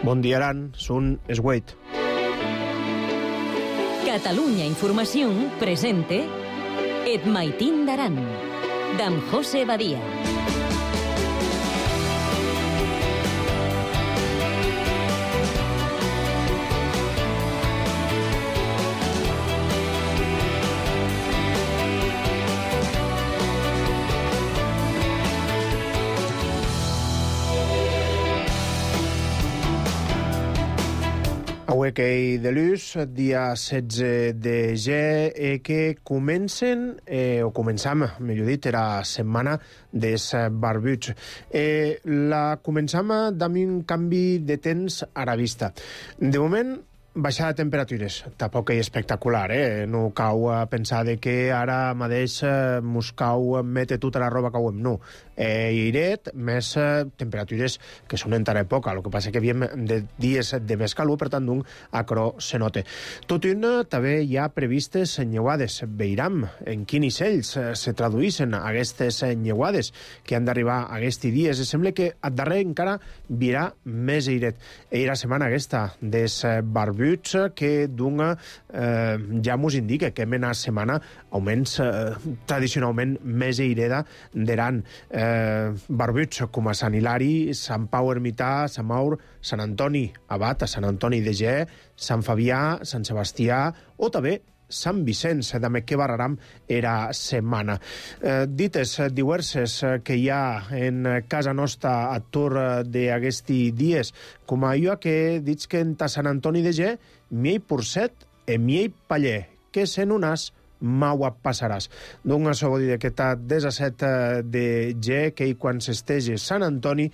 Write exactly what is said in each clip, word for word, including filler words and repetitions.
Bon dia, Aran. Són es vuit. Catalunya Informació presente Et Maitín d'Aran, d'en José Badia. Avui que hi de l'ús, dia setze de gener, eh, que comencen, eh, o començam, millor dit, era setmana des barbuts. Eh, la començam amb un canvi de temps a la vista. De moment, baixada de temperatures, tampoc és espectacular, eh? No cau a pensar de que ara mateix eh, mos cau mete tota la roba que cauem, no. Eh, Iret, més eh, temperatures que són encara poca, el que passa que havíem de dies de més calor, per tant, d'un acro se note. Tot i una, també hi ha previstes nyeuades. Veiram en quins ells eh, se traduïssin aquestes nyeuades que han d'arribar aquests dies. Sembla que a darrer encara virà més Iret. Era la setmana aquesta des barbuts que d'una eh, ja mos indica que mena setmana augments eh, tradicionalment més ireda d'Aran. Eh, barbuts com a Sant Hilari, Sant Pau Ermità, Sant Maur, Sant Antoni Abat, a Sant Antoni de Ge, Sant Fabià, Sant Sebastià o també Sant Vicenç, també que barraram era setmana. Eh, dites diverses que hi ha en casa nostra a tour d'aquests dies, com allò que dits que en Sant Antoni de Ge, miei porcet e miei paller, que sen unas maua passaràs. D'un segon dia que està disset de ge, que quan s'estege Sant Antoni,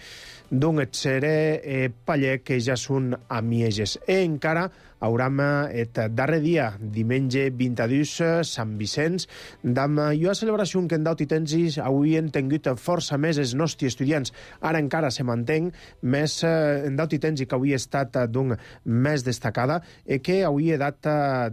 d'un etxere eh, paller que ja són amieges. E encara hauram et darrer dia, diumenge vint-i-dos, Sant Vicenç, d'am jo a celebració que en daut i tensis avui han tingut força més els nostres estudiants. Ara encara se mantenc més eh, en daut i tensi que avui ha estat d'un més destacada i que avui he dat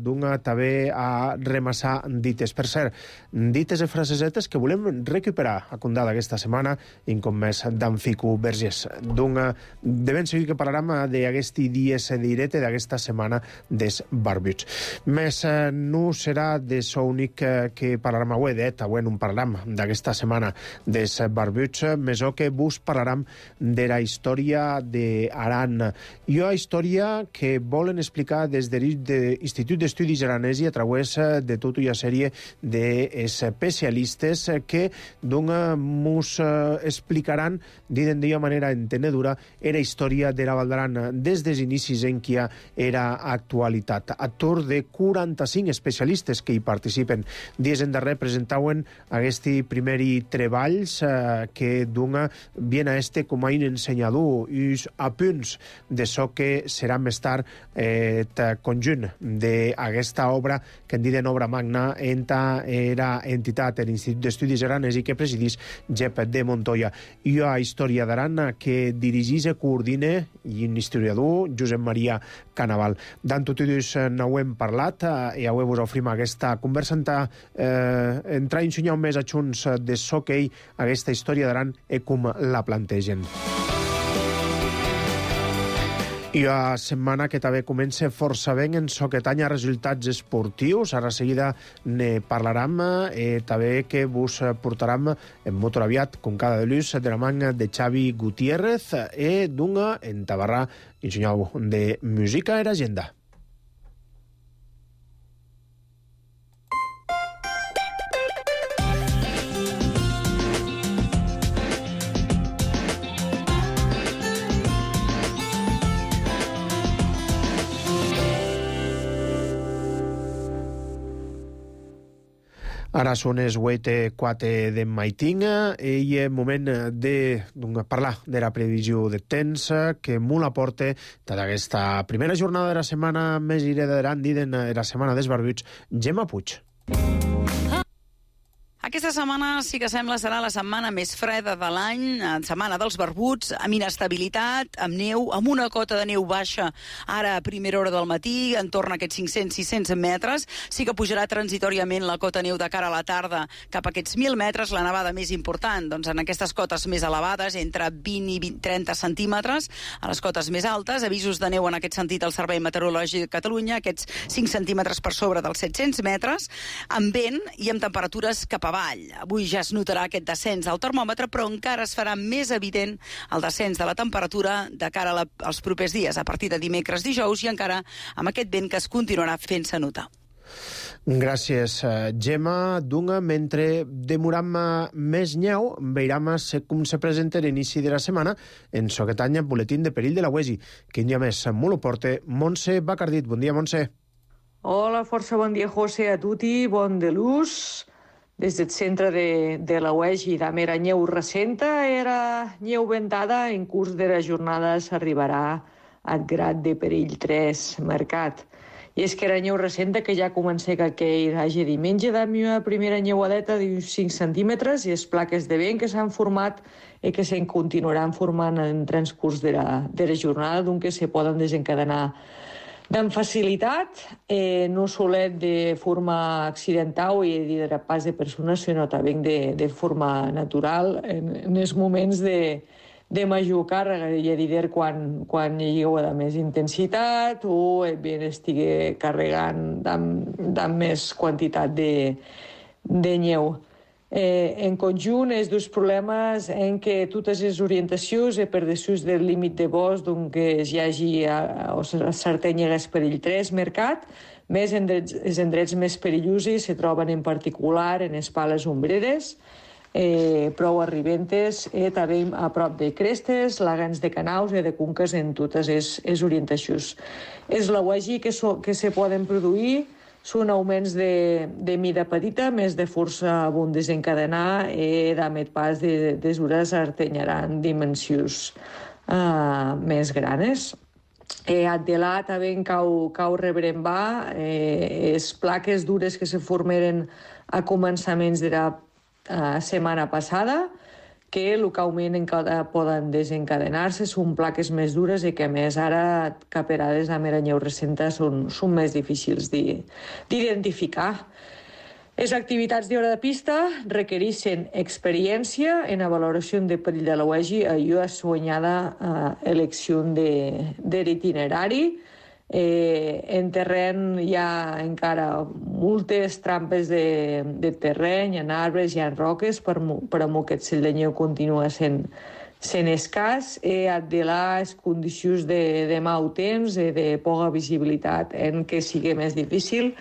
d'un també a remassar dites. Per cert, dites i frasesetes que volem recuperar a condada aquesta setmana i com més d'en Fico Vergés. D'un, de ben segur que parlarem d'aquesti dies direte d'aquesta setmana des barbuts. Més eh, no serà de so únic eh, que parlarem avui, d'et, avui no parlarem d'aquesta setmana des barbuts, més o que vos parlarem de la història d'Aran. I una història que volen explicar des de l'Institut d'Estudis Aranesi a través de tota una sèrie d'especialistes que d'una mos explicaran d'una manera entenedora era història de la Val d'Aran des dels inicis en què era actualitat. A tour de quaranta-cinc especialistes que hi participen. Dies en darrer presentaven aquests primers treballs eh, que d'una bien a este com a un ensenyador i a punts de so que serà més tard eh, conjunt d'aquesta obra que en diuen obra magna enta era entitat de l'Institut d'Estudis Aranesi que presidís Jep de Montoya. I a història d'Aran que dirigís i coordina i un historiador, Josep Maria Canaval. D'en tot i dos no hem parlat eh, i avui vos ofrim aquesta conversa eh, entrar i ensenyar més a junts de so que ell aquesta història d'Aran i com la plantegen. I la setmana que també comença força ben en so que tanya resultats esportius. Ara seguida ne parlarem i també que vos portarem en molt aviat, com cada de l'ús, de la manga de Xavi Gutiérrez i d'una en Tabarrà, ensenyau de música i agenda. Ara són els vuit i quatre de Maitín i és moment de parlar de la previsió de temps que molt aporta d'aquesta primera jornada de la setmana més ireda d'Aran, de la setmana dels barbuts, Gemma Puig. Aquesta setmana sí que sembla serà la setmana més freda de l'any, setmana dels barbuts, amb inestabilitat, amb neu, amb una cota de neu baixa ara a primera hora del matí, entorn a aquests cinc-cents a sis-cents metres. Sí que pujarà transitoriament la cota neu de cara a la tarda cap a aquests mil metres, la nevada més important, doncs en aquestes cotes més elevades, entre vint i trenta centímetres, a les cotes més altes, avisos de neu en aquest sentit al Servei Meteorològic de Catalunya, aquests cinc centímetres per sobre dels set-cents metres, amb vent i amb temperatures cap a avall. Avui ja es notarà aquest descens al termòmetre, però encara es farà més evident el descens de la temperatura de cara a la, als propers dies, a partir de dimecres, dijous, i encara amb aquest vent que es continuarà fent-se notar. Gràcies, Gemma. Dunga, mentre demoram més nyeu, veiram com se presenta l'inici de la setmana en Soquetanya, boletín de perill de la U E S I, que un dia més molt ho porta Montse Bacardit. Bon dia, Montse. Hola, força bon dia, José, a tutti, bon de l'ús. Des del centre de, de la U E S I d'Amera nyeu recenta era nyeu ventada. En curs de la jornada s'arribarà al grad de perill tres marcat. I és que era nyeu recenta que ja comença que aquell hagi diumenge d'ami una primera nyeuadeta d'uns cinc centímetres i les plaques de vent que s'han format i que se'n continuaran formant en transcurs de la, de la jornada, doncs que se poden desencadenar amb facilitat, eh, no solet de forma accidental i de pas de persones, sinó també de, de forma natural en, en els moments de, de major càrrega, i a dir quan, quan hi hagi de més intensitat o el vent estigui carregant amb més quantitat de, de neu. Eh, en conjunt, els dos problemes en què totes les orientacions e per dessús del límit de bosc que hi hagi a, o s'artenyegues perill tres mercat, més endrets, els endrets més perillosos se troben en particular en les pales ombreres, eh, prou arribentes, i eh, també a prop de crestes, lagans de canaus i de conques en totes les, les orientacions. És la U E S I que, so, que se poden produir són augments de, de mida petita, més de força a bon desencadenar i d'amet pas de desures artenyaran dimensions uh, més granes. Eh, Adelà també cau, cau rebrembar eh, les plaques dures que se formeren a començaments de la uh, setmana passada, que localment encara poden desencadenar-se, són plaques més dures i que, a més, ara caperades amb la nyeu recenta són, són més difícils d'identificar. Les activitats d'hora de pista requereixen experiència en la valoració de perill de la U E S I i una soñada uh, elecció de, de l'itinerari. Eh, en terreny hi ha encara moltes trampes de, de terreny, en arbres, hi ha roques, per, per a aquest cel de neu continua sent, sent escàs, i de les condicions de, de mau temps i de poca visibilitat en què sigui més difícil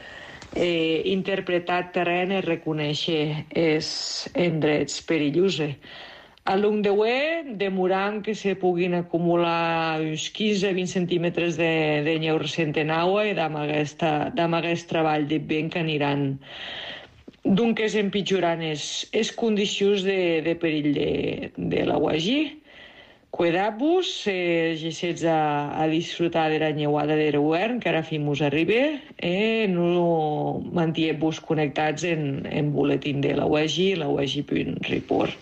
eh, interpretar terreny i reconèixer els endrets perillosos. A l'U M D U E demorant que se puguin acumular uns quinze a vint centímetres de, de neu recent en aigua i amb aquest treball de vent que aniran doncs es empitjorant les condicions de, de perill de, de la U E S I. Cuidar-vos, eh, gessets a, a disfrutar de la nyeuada de l'hivern, que ara fins arriba, eh, no mantingueu-vos connectats en, en boletín de la U E S I, la U E S I punt report.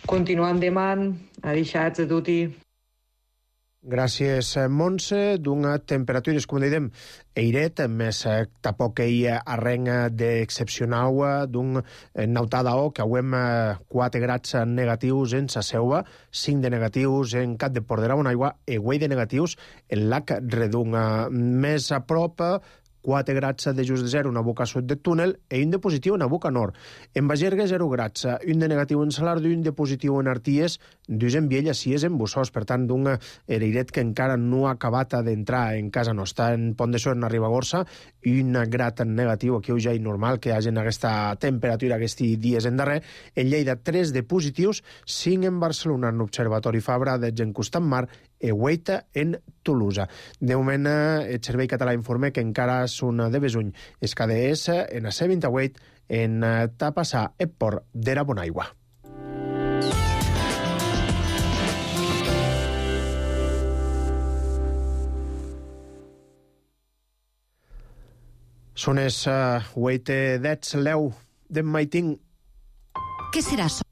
Continuem demant, adixats a tutti. Gràcies, Montse. D'una temperatures, com dèiem, eiret, més tampoc hi arrenga d'excepcional d'un nautada o que hauem quatre grads negatius en sa Selva, cinc de negatius en Cap de Port de la Bonaigua i vuit de negatius en Lac Redunga. Més a prop, quatre grads de just de zero en la boca sud del túnel i un de positiu en la boca nord. En Bagerga, zero grads, un de negatiu en Salardo i un de positiu en Arties, dos en Viella, sis en Bussós, per tant, d'un airet que encara no ha acabat d'entrar en casa nostra. En Pont de Suert, en Ribagorça, un grad negatiu, aquí ja és normal que hi hagi aquesta temperatura aquests dies en darrer. En Lleida, tres de positius, cinc en Barcelona, en l'Observatori Fabra, dotze en Costat Mar, i vuit en Tolosa. De moment, el Servei Català informa que encara són de Besuny. És K D S en la C vint-i-vuit en Tapassà e Port de la Bonaigua. Són els vuit dets l'eu de Maiting. ¿Qué será eso?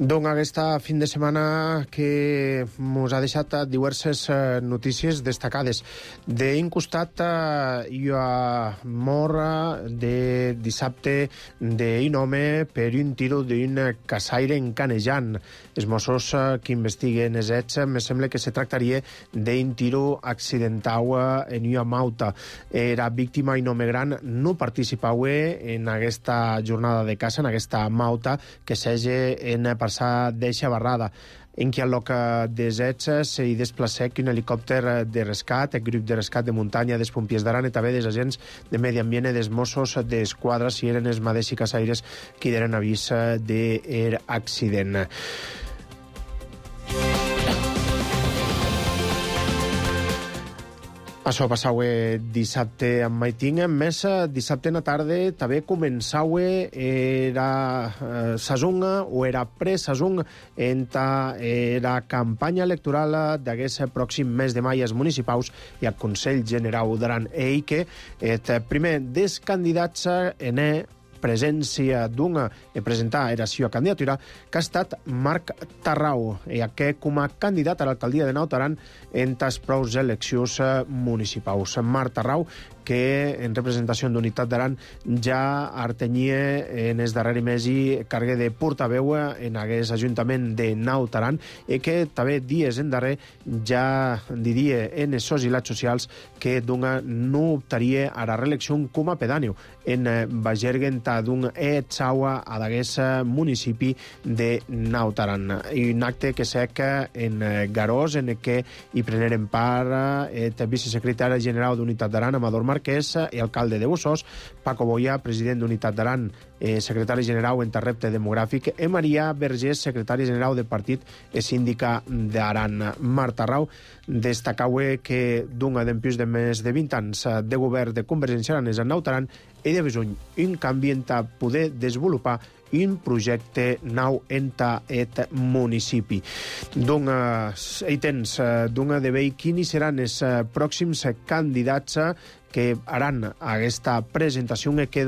Doncs aquesta fin de setmana que ens ha deixat diverses notícies destacades. D'un costat, hi ha mort de dissabte d'un home per un tiro d'un caçaire en Canejan. Els Mossos que investiguen els fets me sembla que se tractaria d'un tiro accidental en una mauta. Era víctima un home gran, no participava en aquesta jornada de caça, en aquesta mauta que s'hagi en passar d'eixa barrada. En qui al lloc dels fets s'hi desplacec un helicòpter de rescat, el grup de rescat de muntanya dels pompiers d'Aran i també dels agents de medi ambient i dels Mossos d'Esquadra, si eren els mateixos caçaires qui donen avís d'accident. Això passava dissabte amb Maiting. A més, dissabte en la tarda també començava era eh, sazunga o era pre-sazung en la campanya electoral d'aquest pròxim mes de maig als municipals i al Consell General d'Aran. I que el primer dels candidats en presència d'una e presentar era seva candidatura, que ha estat Marc Tarrau, i aquest com a candidat a l'alcaldia de Naut Aran en les prous eleccions municipals. Marc Tarrau, que en representació d'Unitat d'Aran ja artenia en els darrers mesos cargue de portaveu en aquest ajuntament de Naut Aran i que també dies en darrer ja diria en els sosilats socials que d'una no optaria a la reelecció com a pedàneu en Bagergen d'un etxaua a d'aquest municipi de Naut Aran. I un acte que sec en Garós en què hi preneren part el vicesecretari general d'Unitat d'Aran, Amador Marquès, i alcalde de Bossós, Paco Boya, president d'Unitat d'Aran, eh, secretari general en repte demogràfic, i Maria Vergés, secretari general del partit i síndica d'Aran. Marc Tarrau destacava que d'un dempius de més de vint anys de govern de Convergència Aranesa en Naut Aran i de besuny un canvi en poder desenvolupar un projecte nou en aquest municipi. Doncs, hi tens, d'un de veure quins seran els pròxims candidats que haran aquesta presentació i que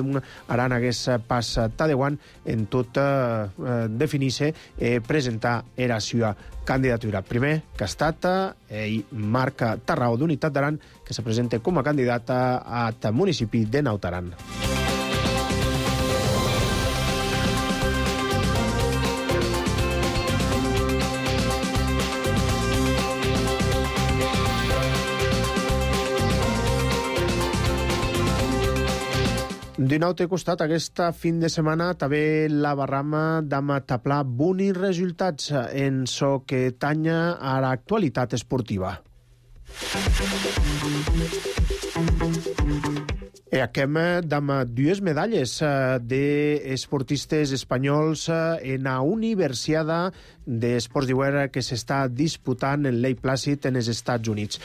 haran aquest pas tadeuant en tot eh, definir-se i presentar la seva candidatura. Primer, que ha estat eh, Marc Tarrau d'Unitat d'Aran, que se presenta com a candidata al municipi de Naut Aran. D'un altre costat, aquesta fin de setmana també la barrama d'Amataplà bons resultats en so que tanya a l'actualitat esportiva. I acabem amb dues medalles d'esportistes espanyols en la Universiada d'Esports d'Hivern que s'està disputant en Lake Placid en els Estats Units.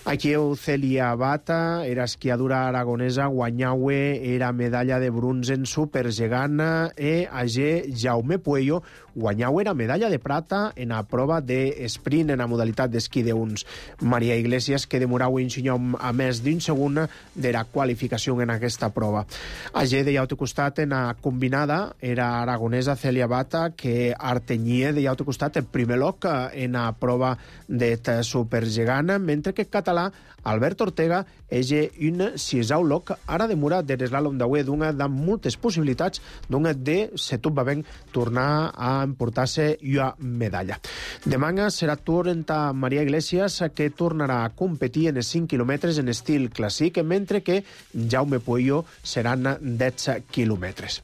Aquí Celia Bata, era esquiadora aragonesa, guanyava era medalla de bronze en supergegant i allí Jaume Puello guanyava era medalla de plata en la prova d'esprint en la modalitat d'esquí d'uns. Maria Iglesias, que demorava un senyor a més d'un segon de la qualificació en aquesta prova. Allí de l'altre costat, en la combinada, era aragonesa Celia Bata, que artenyia de l'altre costat el primer lloc en la prova de supergegant, mentre que català Albert Ortega és un sisau lloc, ara demora de l'eslàlom d'avui d'una de moltes possibilitats d'una de, si tot va bé, tornar a emportar-se una medalla. Demà serà torn a Maria Iglesias, que tornarà a competir en els cinc quilòmetres en estil clàssic, mentre que ja Jaume Pueyo seran dotze quilòmetres.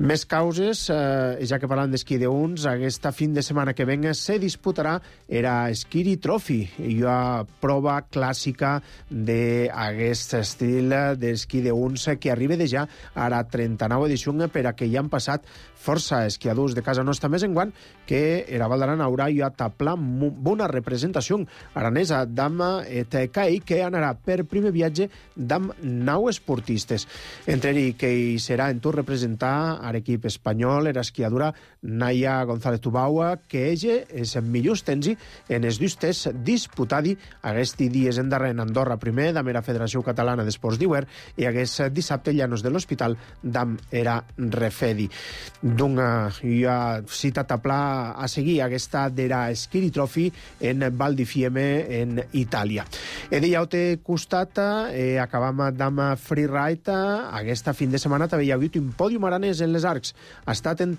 Més causes, eh, ja que parlant d'esquí de uns, aquesta fin de setmana que venga se disputarà era Skiri Trophy, una prova clàssica d'aquest estil d'esquí de uns que arriba de ja a la trenta-nova edició per a que hi han passat força esquiadors de casa nostra, més enguant que era Val d'Aran haurà ja tapla bona representació aranesa d'ama et caí que anarà per primer viatge d'am nou esportistes. Entre ells que hi serà en tot representar a l'equip espanyol era esquiadora Naya González Tubaua, que ella és en millors tensi en els dos tests disputadi aquests dies en darrer en Andorra primer d'am era Federació Catalana d'Esports d'Iuer i aquest dissabte llanos de l'Hospital d'am era Refedi. D'una ja cita tapla a seguir aquesta d'era Skiri Trophy en Val di Fiemme en Itàlia. E de llaute costat eh, acabam d'am freeride aquesta fin de setmana també hi ha hagut un pòdium aranès en les arcs. Ha estat en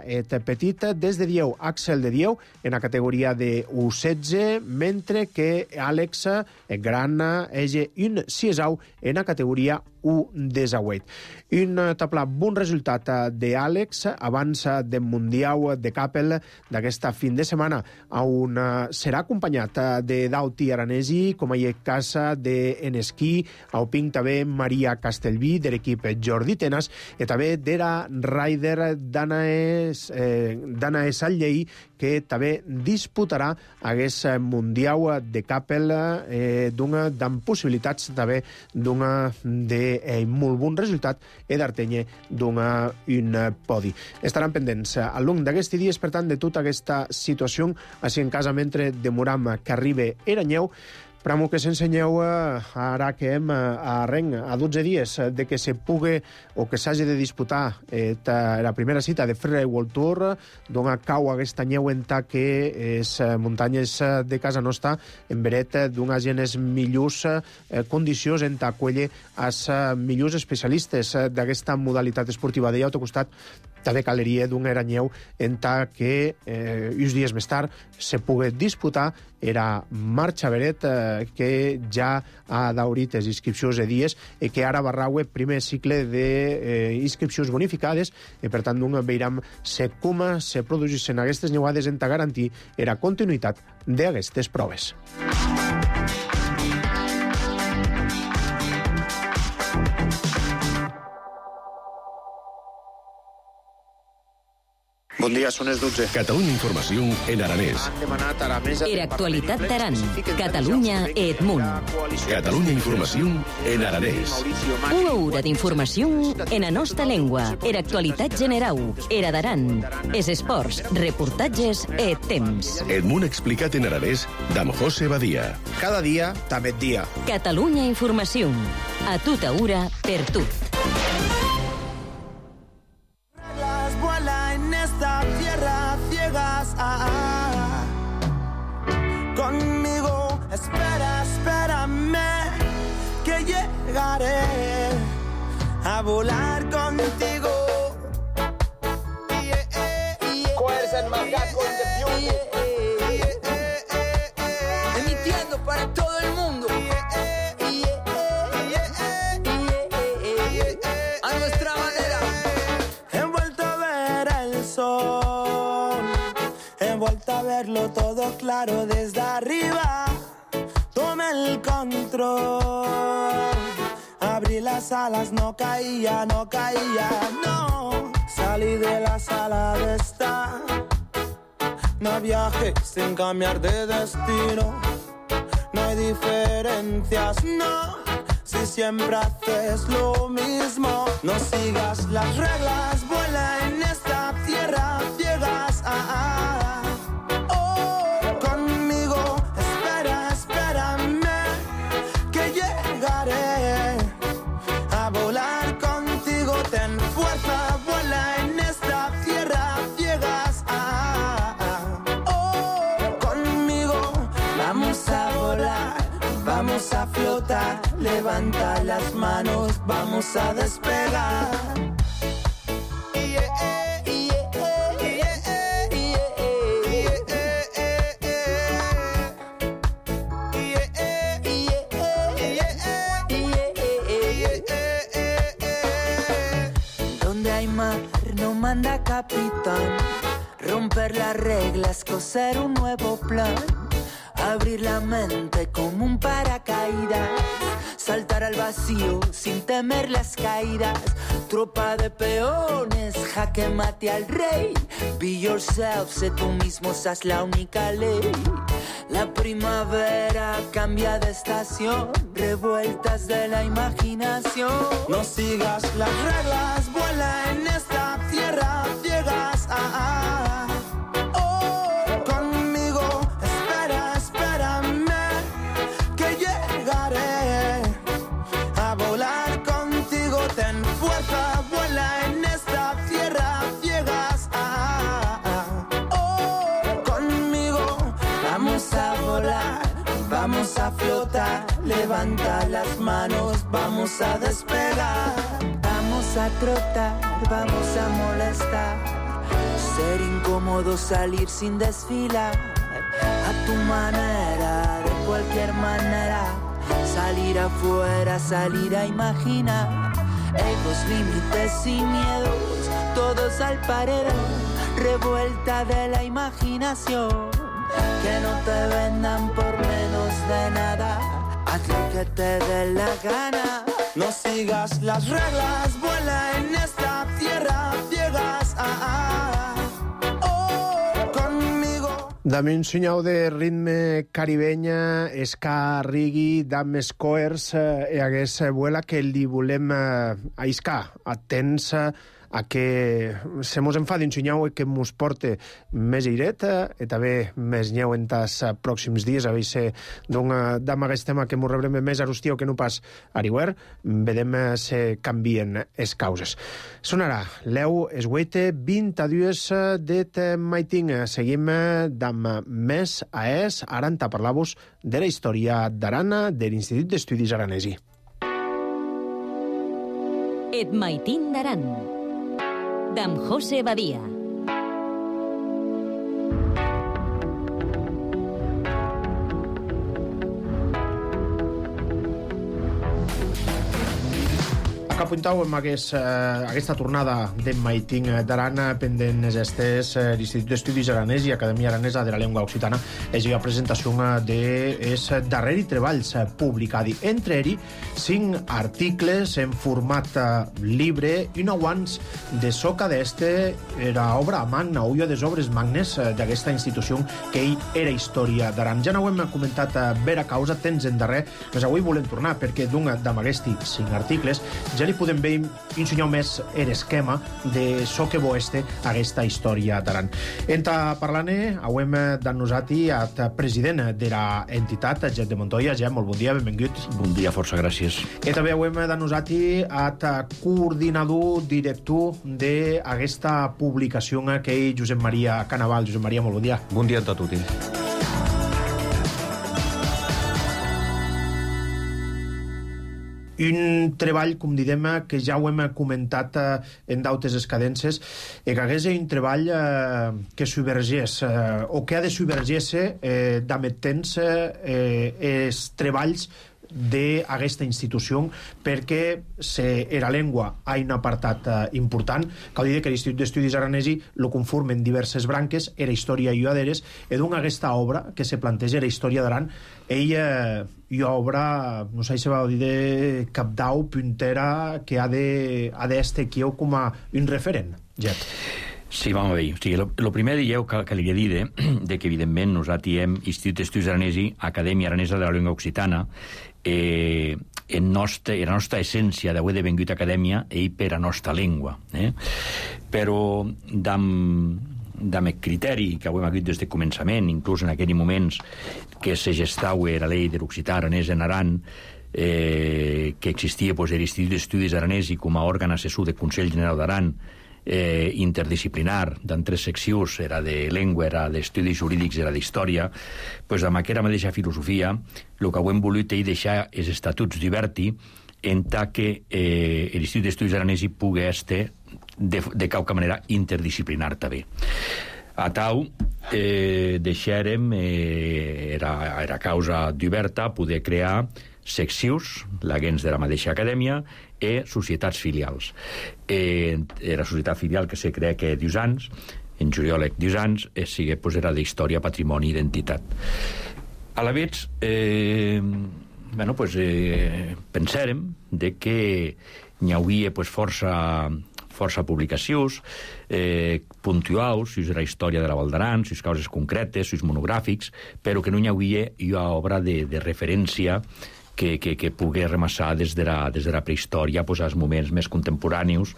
et petit des de dieu, Axel de dieu en la categoria de u setze, mentre que Àlex Gran ege un siesau en la categoria u disset. Un tapla bon resultat d'Àlex abans del Mundial de Capel d'aquesta fin de setmana, on serà acompanyat de Dauti Aranesi, com a cas d'en esquí, au pinc també Maria Castellví, de l'equip Jordi Tenas, i també d'era rider Danae eh, Sallei, que també disputarà aquest Mundial de Capel eh, d'una amb possibilitats també d'una de eh, molt bon resultat i d'Artenye d'una un podi. Estaran pendents al long d'aquests dies, per tant, de tota aquesta situació, així en casa mentre demoram que arribi Eranyeu. Pramo que s'ensenyeu ara que hem a Renc a dotze dies de que se pugui o que s'hagi de disputar eh, la primera cita de Freeride World Tour, d'on cau aquesta nyeu en ta que és muntanyes de casa nostra en veret d'unes genes millors eh, condicions en ta quelle als millors especialistes d'aquesta modalitat esportiva. De llaut costat també caleria d'un Eranyeu en ta que eh, uns dies més tard se pugui disputar era marxa veret eh, que ja ha daurit les inscripcions de dies i que ara barraue primer cicle d'inscripcions eh, bonificades i per tant veiram se com se produeixen aquestes nyeuades en ta garantir era continuïtat d'aquestes proves. Bon dia, són les dotze. Catalunya Informació en aranès. Era actualitat d'Aran. Catalunya et Munt. Catalunya Informació en aranès. Una hora d'informació en la nostra llengua. Era actualitat generau. Era d'Aran. Es esports, reportatges et temps. Et Munt explicat en aranès d'am José Badia. Cada dia, també et dia. Catalunya Informació. A tota hora, per tu. Conmigo, espera, espérame, que llegaré a volar contigo. Coers and Macaco in the Beauty. Emitiendo para todo el mundo. A nuestra manera. He vuelto a ver el sol, he vuelto a verlo todo claro desde arriba. Tomé el control, abrí las alas, no caía, no caía, no. Salí de la sala de estar, no viajé sin cambiar de destino. No hay diferencias, no, si siempre haces lo mismo. No sigas las reglas, vuela en esta tierra, llegas a... a oh, conmigo, espera, espérame, que llegaré a volar contigo. Ten fuerza, vuela en esta tierra, llegas a... a oh, conmigo, vamos a volar, vamos a flotar, levanta las manos, vamos a despegar. capitán. Romper las reglas, coser un nuevo plan. Abrir la mente como un paracaídas. Saltar al vacío sin temer las caídas. Tropa de peones, jaque mate al rey. Be yourself, sé tú mismo, esa es la única ley. La primavera cambia de estación. Revueltas de la imaginación. No sigas las reglas, vuela en esta tierra ciegas. Ah, ah. Oh, conmigo, espera, espérame, que llegaré a volar contigo. Ten fuerza, vuela en esta tierra ciegas. Ah, ah. Oh, conmigo, vamos a volar, vamos a flotar. Levanta las manos, vamos a despegar. Vamos a trotar, vamos a molestar. Ser incómodo, salir sin desfilar. A tu manera, de cualquier manera. Salir afuera, salir a imaginar. Egos, límites y miedos, todos al paredón. Revuelta de la imaginación. Que no te vendan por menos de nada. Haz lo que te dé la gana. No sigas las reglas, vuela en esta tierra ciegas. Ah, ah. Oh, conmigo. Dame un senyal de ritme caribenya, ska, reggae, dame squares, e hagués vuela que li volem aiscar. Atents a que se mos enfadi un senyal que mos porte més aireta e també més nyeu en tas pròxims dies, a veure d'un dam aquest tema que mos rebrem més arustiu que no pas ariuer, vedem se canvien es causes. Sonarà l'eu esgueite vint a dues det maiting. Seguim dam més a es, ara enta parlar-vos de la història d'Arana de l'Institut d'Estudis Aranesi. Et maitin d'Aran. D'en José Badia. Que apuntau amb aquest, eh, aquesta tornada d'en Maiting d'Arana pendent estes eh, l'Institut d'Estudis Aranès i Acadèmia Aranesa de la Llengua Occitana és la presentació de es darreri treballs publicadi. Entre eri, cinc articles en format libre i nou anys de soca d'este era obra magna, ulla des obres magnes d'aquesta institució que ell era història d'Aran. Ja no ho hem comentat a vera causa, temps en darrer, però avui volem tornar perquè d'un d'aquests cinc articles ja li podem veure un senyal més l'esquema de so que bo este aquesta història d'Aran. Enta parlant-ne, hem d'annosati at president de la entitat, Gep de Montoya. Gep, molt bon dia, benvingut. Bon dia, força gràcies. I també hem d'annosati at coordinador, director d'aquesta publicació que és Josep Maria Canaval. Josep Maria, molt bon dia. Bon dia a tots. Un treball, com didem, que ja ho hem comentat eh, en d'altres escadences, eh, que hagués un treball eh, que subvergés, eh, o que ha de subvergir-se eh, d'ametents eh, els treballs d'aquesta institució, perquè se, era llengua ha un apartat eh, important. Cal dir que l'Institut d'Estudis Aranesi lo conformen diverses branques, era història i aderes, i d'un aquesta obra que se planteja era història d'Aran. Ella hi ha obra, no sé si va dir de capdau, puntera, que ha de ha d'este aquí com a un referent, Jet. Sí, vam a veure. O sigui, el primer dieu que, que li he dit de, de que, evidentment, nosaltres hem Institut d'Estudis Aranesi, Acadèmia Aranesa de la Llengua Occitana, eh, en nostra, en la nostra essència d'haver de vengut acadèmia i per a nostra llengua. Eh? Però, d'am, d'am criteri que ho hem hagut des de començament, inclús en aquells moments que se gestava la llei de l'Occità aranès en Aran, eh, que existia pues, l'Institut d'Estudis Aranesi com a òrgan assessor del Consell General d'Aran, eh, interdisciplinar, d'en tres seccions, era de llengua, era d'estudis jurídics, era d'història, pues, amb aquella mateixa filosofia, el que ho hem volut és deixar els estatuts d'Iberti en tant que eh, l'Institut d'Estudis Aranesi pugui estar de, de qualque manera interdisciplinar també. A tau, eh, deixarem, eh, era, era causa d'Iberta, poder crear seccions, l'agents de la mateixa acadèmia, i societats filials. Eh, la societat filial que se crea que dius anys, en juliol dius anys, eh, sigue, pues, era d'història, patrimoni i identitat. A la vegada, eh, bueno, pues, eh, pensàrem de que n'hi hauria, pues, força... força publicacions, eh, puntuals, si és la història de la Val d'Aran, si és causes concretes, si és monogràfics, però que no hi havia una obra de, de referència que, que, que pugui remassar des de la, des de la prehistòria, pues, als moments més contemporanis,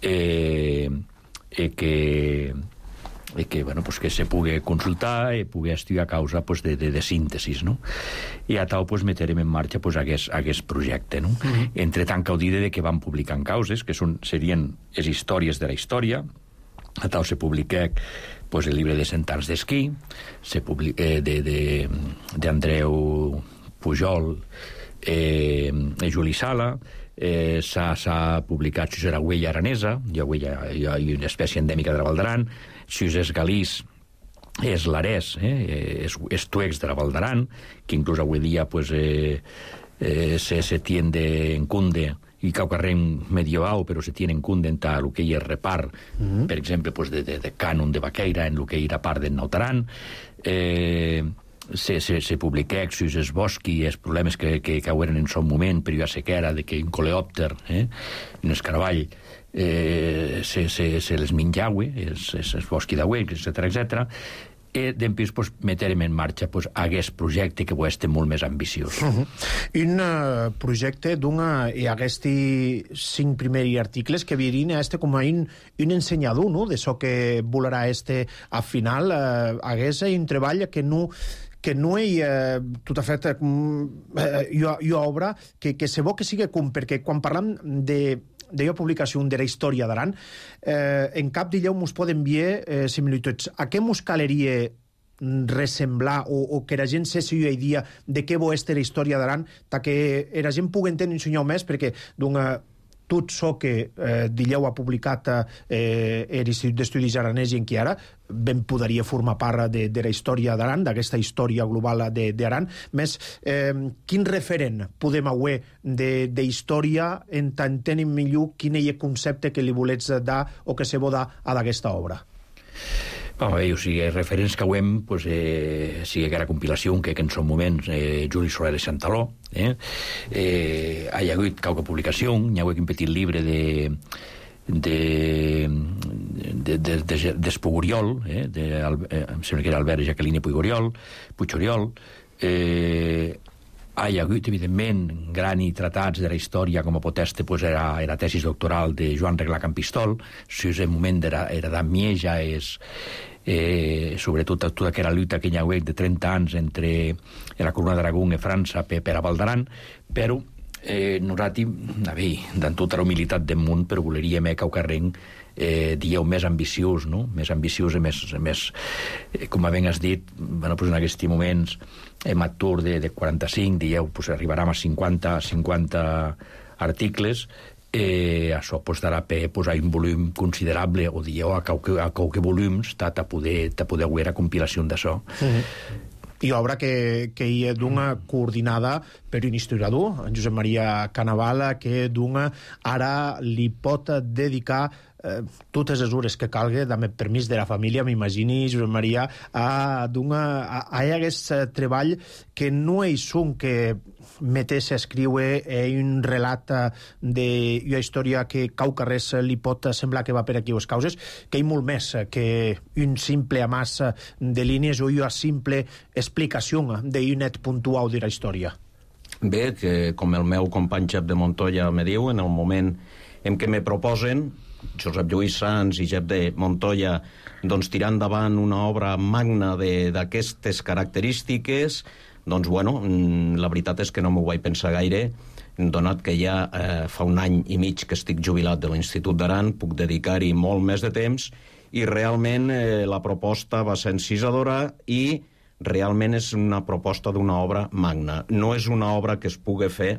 eh, eh, que... i que, bueno, pues, que se pugui consultar i pugui estudiar a causa, pues, de, de, de síntesis, no? I a tal, pues, meterem en marxa, pues, aquest, aquest projecte, no? Uh-huh. Entre tant que ho diré de que van publicant causes, que són, serien les històries de la història. A tal se publica, pues, el llibre de Cent anys d'esquí, se publica eh, de, de, de Andreu Pujol, eh, Juli Sala, eh, s'ha publicat si és la huella aranesa, hi ha, huella, hi ha una espècie endèmica de la Val d'Aran, si és galís, és l'arès, eh, és, és tuex de la Val d'Aran, que inclús avui dia, pues, eh, eh, se, se tiende en cunde, i caucarrem medieval, però se tiene en cunde en el que hi és repart, mm-hmm. per exemple, pues, de, de, de cànon de Baqueira, en el que hi era part del Nautaran, eh, se, se, se publica exus, es bosqui, els problemes que, que caueren en son moment, per la sequera, de que un coleòpter, eh, un escaraball, eh, se, se, se les menjaue, els, els bosqui d'auè, etcètera, etcètera, i després, pues, meterem en marxa, pues, aquest projecte que és molt més ambiciós. Uh-huh. Un uh, projecte d'una... i aquesti cinc primers articles que virien a este com a un, un ensenyador, no?, de so que volarà este a final. Uh, hagués un treball que no... que no hi ha eh, tot a fet eh, hi, ha, hi ha obra que, que se bo que sigui com, perquè quan parlam de d'ella publicació de la història d'Aran, eh, en cap d'elleu mos pot enviar eh, similituds. A què mos caleria ressemblar o, o que la gent se sigui idea de què bo és la història d'Aran, ta que la gent pugui entendre un senyor més, perquè d'una... tot so que eh, Dilleu ha publicat eh, l'Institut d'Estudis Aranès i en qui ara ben podria formar part de, de la història d'Aran, d'aquesta història global d'Aran. Més, eh, quin referent podem haver d'història en tant tenim millor quin és el concepte que li volets dar o que se vol dar a d'aquesta obra? Bueno, bé, o sigui, els referents que hem, pues, eh, sigui que era compilació, que, que en són moments, eh, Juli Soler de Santaló, eh, eh, hi ha hagut qualque publicació, hi ha hagut un petit llibre de de de, de, de, d'Espugoriol, eh, de, eh, em sembla que era Albert Jacqueline Puigoriol, Puigoriol, eh, hi ha hagut, evidentment, gran i tratats de la història com a poteste, pues, era, era tesis doctoral de Joan Reglà Campistol, si és el moment era, era d'Amieja, és eh, sobretot tota aquella lluita que hi ha hagut de trenta anys entre la Corona d'Aragó i França per, per a Val d'Aran, però eh, nosaltres, a veure, amb tota la humilitat del món, però voleríem eh, que el carrer eh, dieu més ambiciós, no? Més ambiciós i més, més eh, com ben has dit, bueno, pues en aquests moments hem atur de, de quaranta-cinc, dieu, pues arribarem a cinquanta, cinquanta articles, eh, això pues, darà per posar un volum considerable, o dieu, a qualque, a qualque volums, ta, ta poder, ta poder haver a compilació d'això. Mm-hmm. I obra que, que hi ha d'una coordinada per un historiador, en Josep Maria Canavala, que d'una ara li pot dedicar eh, totes les hores que calgui, amb el permís de la família, m'imagini, Josep Maria, a d'una... a, a aquest treball que no és un que metés a escriure eh, un relat d'una història que cau carrers li pot semblar que va per aquí les causes, que hi ha molt més que un simple amàs de línies o una simple explicació d'un net puntual de la història. Bé, que com el meu company Jep de Montoya me diu, en el moment en què me proposen, Josep Lluís Sans i Jep de Montoya, doncs tirar endavant una obra magna d'aquestes característiques, doncs, bueno, la veritat és que no m'ho vaig pensar gaire, donat que ja eh, fa un any i mig que estic jubilat de l'Institut d'Aran, puc dedicar-hi molt més de temps, i realment eh, la proposta va ser encisadora i realment és una proposta d'una obra magna. No és una obra que es pugui fer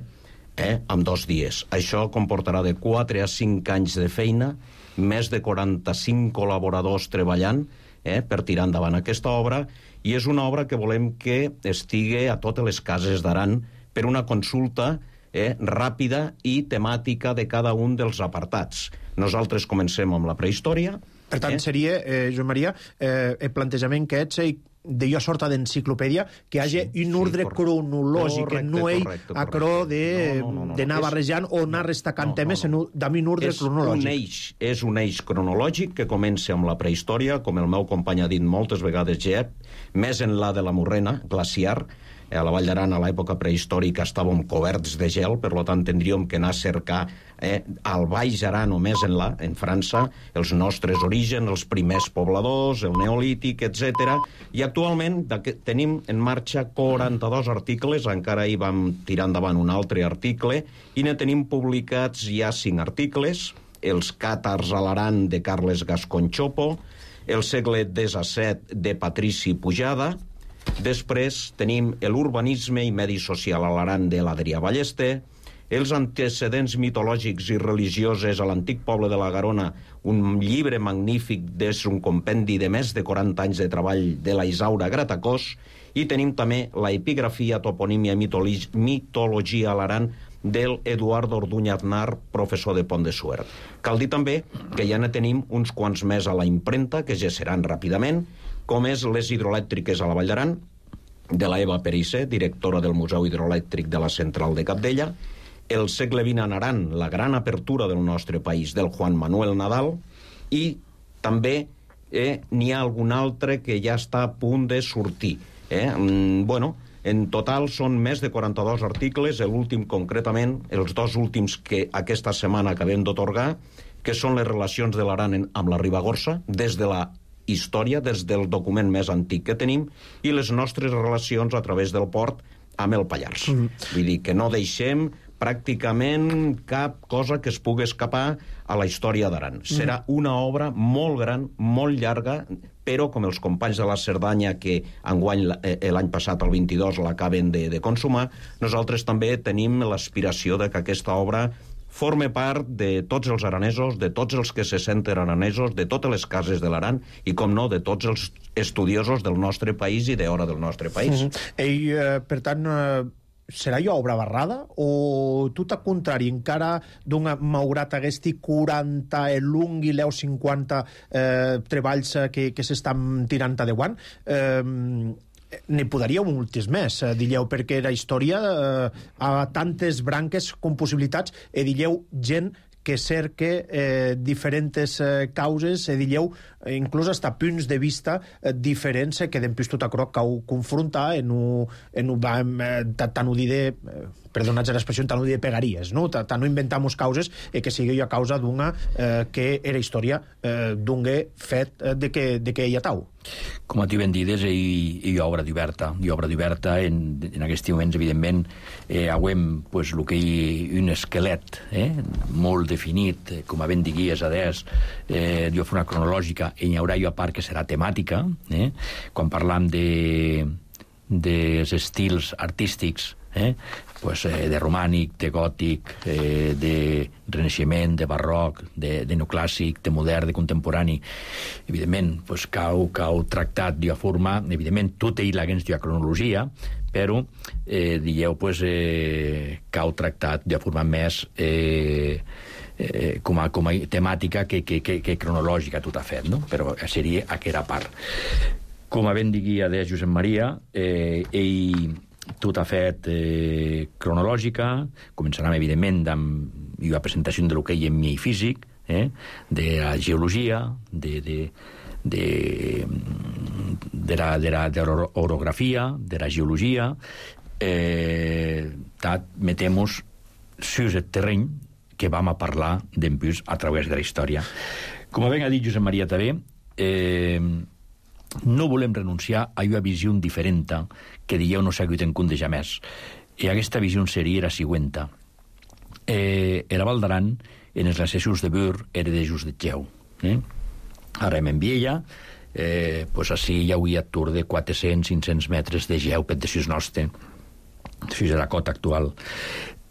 eh, en dos dies. Això comportarà de quatre a cinc anys de feina, més de quaranta-cinc col·laboradors treballant eh, per tirar endavant aquesta obra, i és una obra que volem que estigui a totes les cases d'Aran per una consulta eh, ràpida i temàtica de cada un dels apartats. Nosaltres comencem amb la prehistòria. Per tant, eh? seria, eh, Joan Maria, eh, el plantejament que ets d'allò sorta d'enciclopèdia, que hi hagi sí, un ordre sí, cronològic, correcte, que no hi acrò d'anar no, no, no, no. barrejant o anar destacant no, temes no, no. en un ordre és cronològic. Un eix, és un eix cronològic que comença amb la prehistòria, com el meu company ha dit moltes vegades, Jep, més enllà de la morrena glaciar. A la Vall d'Aran, a l'època prehistòrica, estàvem coberts de gel, per tant, tindríem que anar a cercar eh, al Baix Aran o més enllà, en França, els nostres orígens, els primers pobladors, el neolític, etcètera. I actualment tenim en marxa quaranta-dos articles, encara hi vam tirar endavant un altre article, i ne tenim publicats ja cinc articles, els càtars a l'Aran de Carles Gascon Chopo, el segle disset de Patrici Pujada. Després tenim l'urbanisme i medi social a l'Aran de l'Adrià Ballester, els antecedents mitològics i religiosos a l'antic poble de la Garona, un llibre magnífic des un compendi de més de quaranta anys de treball de la Isaura Gratacós, i tenim també la epigrafia, toponímia i mitologia a l'Aran del Eduardo Orduña Aznar, professor de Pont de Suert. Cal dir també que ja ne tenim uns quants més a la impremta, que ja seran ràpidament, com és les hidroelèctriques a la Vall d'Aran, de la Eva Perissé, directora del Museu Hidroelèctric de la Central de Capdella, el segle vint en Aran, la gran apertura del nostre país, del Juan Manuel Nadal, i també eh, n'hi ha algun altre que ja està a punt de sortir. Eh? Mm, bueno, en total són més de quaranta-dos articles, l'últim concretament, els dos últims que aquesta setmana acabem d'atorgar, que són les relacions de l'Aran amb la Ribagorça, des de la història, des del document més antic que tenim, i les nostres relacions a través del port amb el Pallars. Mm. Vull dir que no deixem pràcticament cap cosa que es pugui escapar a la història d'Aran. Mm. Serà una obra molt gran, molt llarga, però com els companys de la Cerdanya, que enguany l'any passat, el vint-i-dos, l'acaben de, de consumar, nosaltres també tenim l'aspiració de que aquesta obra forme part de tots els aranesos, de tots els que se senten aranesos, de totes les cases de l'Aran i, com no, de tots els estudiosos del nostre país i d'hora del nostre país. Mm-hmm. Ell, eh, per tant, eh, serà jo obra barrada o tot al contrari, encara d'una, malgrat haguesti quaranta l'un i l'eu cinquanta eh, treballs que, que s'estan tirant a deuant, eh, n'hi podríeu moltes més, eh, dilleu, perquè la història eh, ha tantes branques com possibilitats, e dilleu gent que cerque eh, diferents eh, causes, e dilleu, eh, inclús hasta punts de vista eh, diferents, eh, que d'empús tot aquò que ho confronta en un, en un, eh, tant ho diré, eh, perdonats l'expressió, tant ho diré pegaries, no? Tant no inventamos causes eh, que sigui a causa d'una eh, que era història eh, d'un fet eh, de que, de que hi ha tau. Com a tu ben dides, hi, hi ha obra diversa. Hi ha obra diversa en, en aquests moments, evidentment, eh, hauem pues, el que hi un esquelet eh, molt definit, eh, com a ben diguies, adés, eh, jo fer una cronològica, i hi haurà jo a part que serà temàtica, eh, quan parlam de dels estils artístics, eh, pues, eh, de romànic, de gòtic, eh, de renaixement, de barroc, de, de neoclàssic, de modern, de contemporani. Evidentment, pues, cau, cau tractat d'una forma, evidentment, tot ell l'haguens d'una cronologia, però, eh, dieu, pues, eh, cau tractat d'una forma més eh, eh, com, a, com a temàtica que, que, que, que cronològica tot ha fet, no? Però seria aquella part. Com a ben diguia de Josep Maria, eh, ell tot ha fet eh, cronològica, començarem, evidentment, amb la presentació de lo que hi ha en mi físic, eh, de la geologia, de, de, de, de, la, de, la, de l'orografia, de la geologia, eh, metemos sus el terreny que vam a parlar d'empús a través de la història. Com ben ha dit Josep Maria també, eh, no volem renunciar a una visió diferent que dieu no s'ha hagut en compte ja més. I aquesta visió seria la següent. Eh, la Val d'Aran, en els accessos de Bur, era de just de Geu. Eh? Ara en Viella, eh, pues així hi hauria tour de quatre-cents a cinc-cents metres de geu per desús nostre, fins a la cota actual.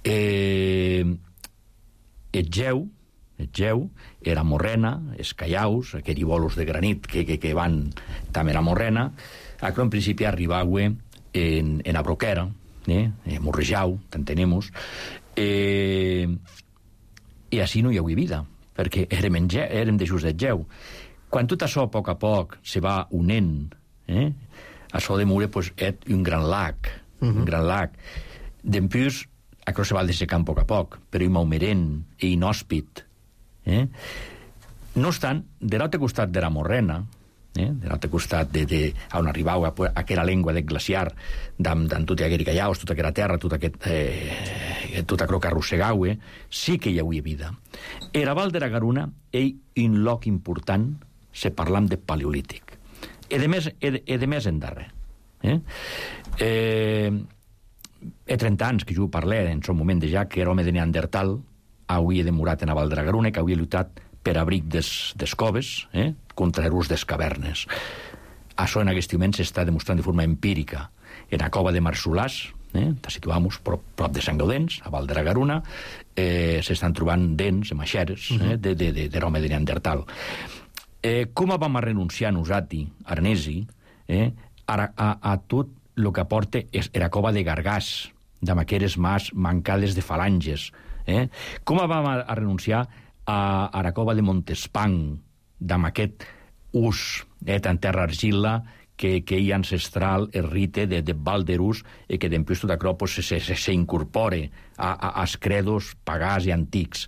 Eh, el geu, el geu era morrena, els callaus, aquells bolos de granit que, que, que van també era morrena, a que en principi arribava en, en la broquera, eh? eh morrejau, t'entenemos, eh, i així no hi havia vida, perquè érem, en ge, érem de just de geu. Quan tot això, a poc a poc, se va unent, eh? això de Mure pues, és un gran lac, uh-huh. un gran lac. Dempús, això se va dessecant a poc a poc, però i maumerent, i inhòspit. Eh? No obstant, de l'altre costat de la Morrena, eh? de l'altre costat de, de, on arribava aquella llengua del glaciar, d'amb tot aquell callaus, tota aquella terra, tot aquest, eh, tot aquell que arrossegau, eh? sí que hi havia vida. Era Val de la Garuna, ell, un lloc important, se parlam de paleolític. E de més, e, e de més en darrer. Eh? Eh, he trenta anys que jo parlé en son moment de ja que era home de Neandertal, havia demorat en la Val de la Garuna, que havia lluitat per abric des, des coves, eh? contra l'ús des cavernes. Això en aquest moment s'està demostrant de forma empírica. En la cova de Marsolàs, eh? te situamos prop, prop de Sant Gaudens, a Val de la Garuna, eh, s'estan trobant dents, maixeres, eh? de, de, de, de l'home de Neandertal. Eh, com vam a renunciar nosati, aranesi, eh, a, a, a tot el que aporta és la cova de Gargàs, d'amb aqueres mas mancades de falanges. Eh? Com vam a, a renunciar a, a la cova de Montespan, d'amb aquest ús eh, en terra argila que, que hi ancestral el rite de, de Valderus i que d'empús tot això pues, se, se, se incorpore a, a, als credos pagàs i antics.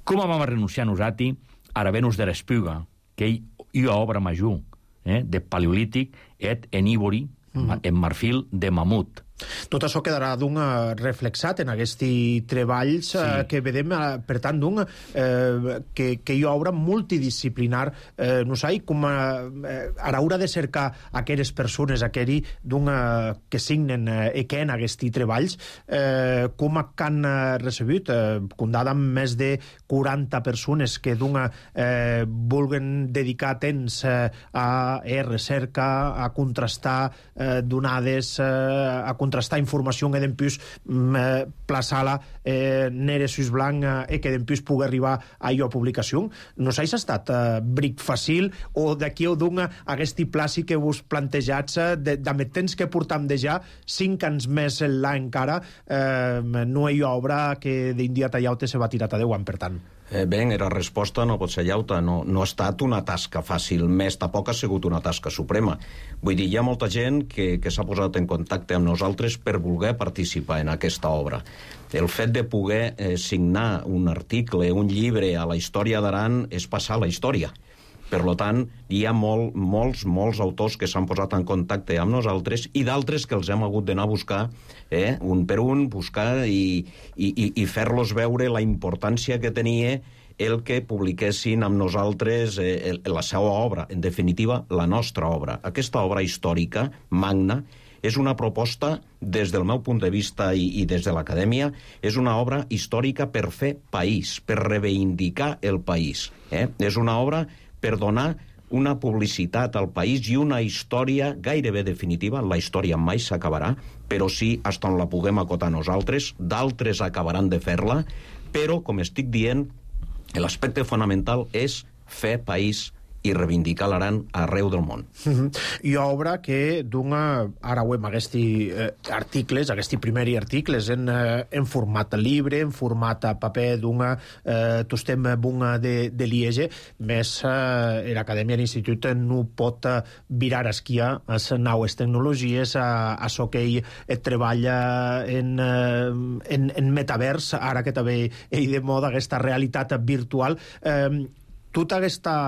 Com vam a renunciar nosati a la Venus de l'Espiga, que hi ha obra major eh, de paleolític et en ívori, mm. en marfil de mamut. Tot això quedarà d'un reflexat en aquests treballs sí. eh, que vedem, eh, per tant, d'un eh, que, que hi ha obra multidisciplinar, eh, no sé, com eh, a l'hora de cercar aquelles persones, aquells d'un eh, que signen eh, i que en aquests treballs, eh, com han recebut, eh, comptat amb més de quaranta persones que d'un eh, vulguen dedicar temps eh, a eh, recerca, a contrastar eh, donades, eh, a contrastar contrastar informació que d'empús eh, plaçar-la eh, nere sus blanc eh, i que d'empús pugui arribar a allò a publicació. No sé si ha estat eh, bric fàcil o d'aquí o d'un aquest plàci que vos plantejats eh, de, de temps que portam de ja cinc anys més l'à encara eh, no hi ha obra que d'un dia tallau-te se va tirar a deu anys, per tant. Eh, bé, la resposta no pot ser llauta. No, no ha estat una tasca fàcil, més tampoc ha sigut una tasca suprema. Vull dir, hi ha molta gent que, que s'ha posat en contacte amb nosaltres per voler participar en aquesta obra. El fet de poder eh, signar un article, un llibre a la història d'Aran és passar la història. Per tant, hi ha molt, molts, molts autors que s'han posat en contacte amb nosaltres i d'altres que els hem hagut d'anar a buscar, eh, un per un, buscar i, i, i fer-los veure la importància que tenia el que publiquessin amb nosaltres eh, la seva obra, en definitiva, la nostra obra. Aquesta obra històrica, magna, és una proposta, des del meu punt de vista i, i des de l'acadèmia, és una obra històrica per fer país, per reivindicar el país. Eh? És una obra per donar una publicitat al país i una història gairebé definitiva. La història mai s'acabarà, però sí, fins on la puguem acotar nosaltres, d'altres acabaran de fer-la, però, com estic dient, l'aspecte fonamental és fer país i reivindicar l'Aran arreu del món. Mm-hmm. Hi ha obra que dona, ara ho hem, aquests eh, articles, aquests primers articles en, eh, en format llibre, en format paper, dona, eh, tostem bunga de, de Liege, més eh, l'Acadèmia de l'Institut no pot eh, virar esquia a les noves tecnologies, a, a això que ell et treballa en, eh, en, en metavers, ara que també hi de moda aquesta realitat virtual. Eh, tota aquesta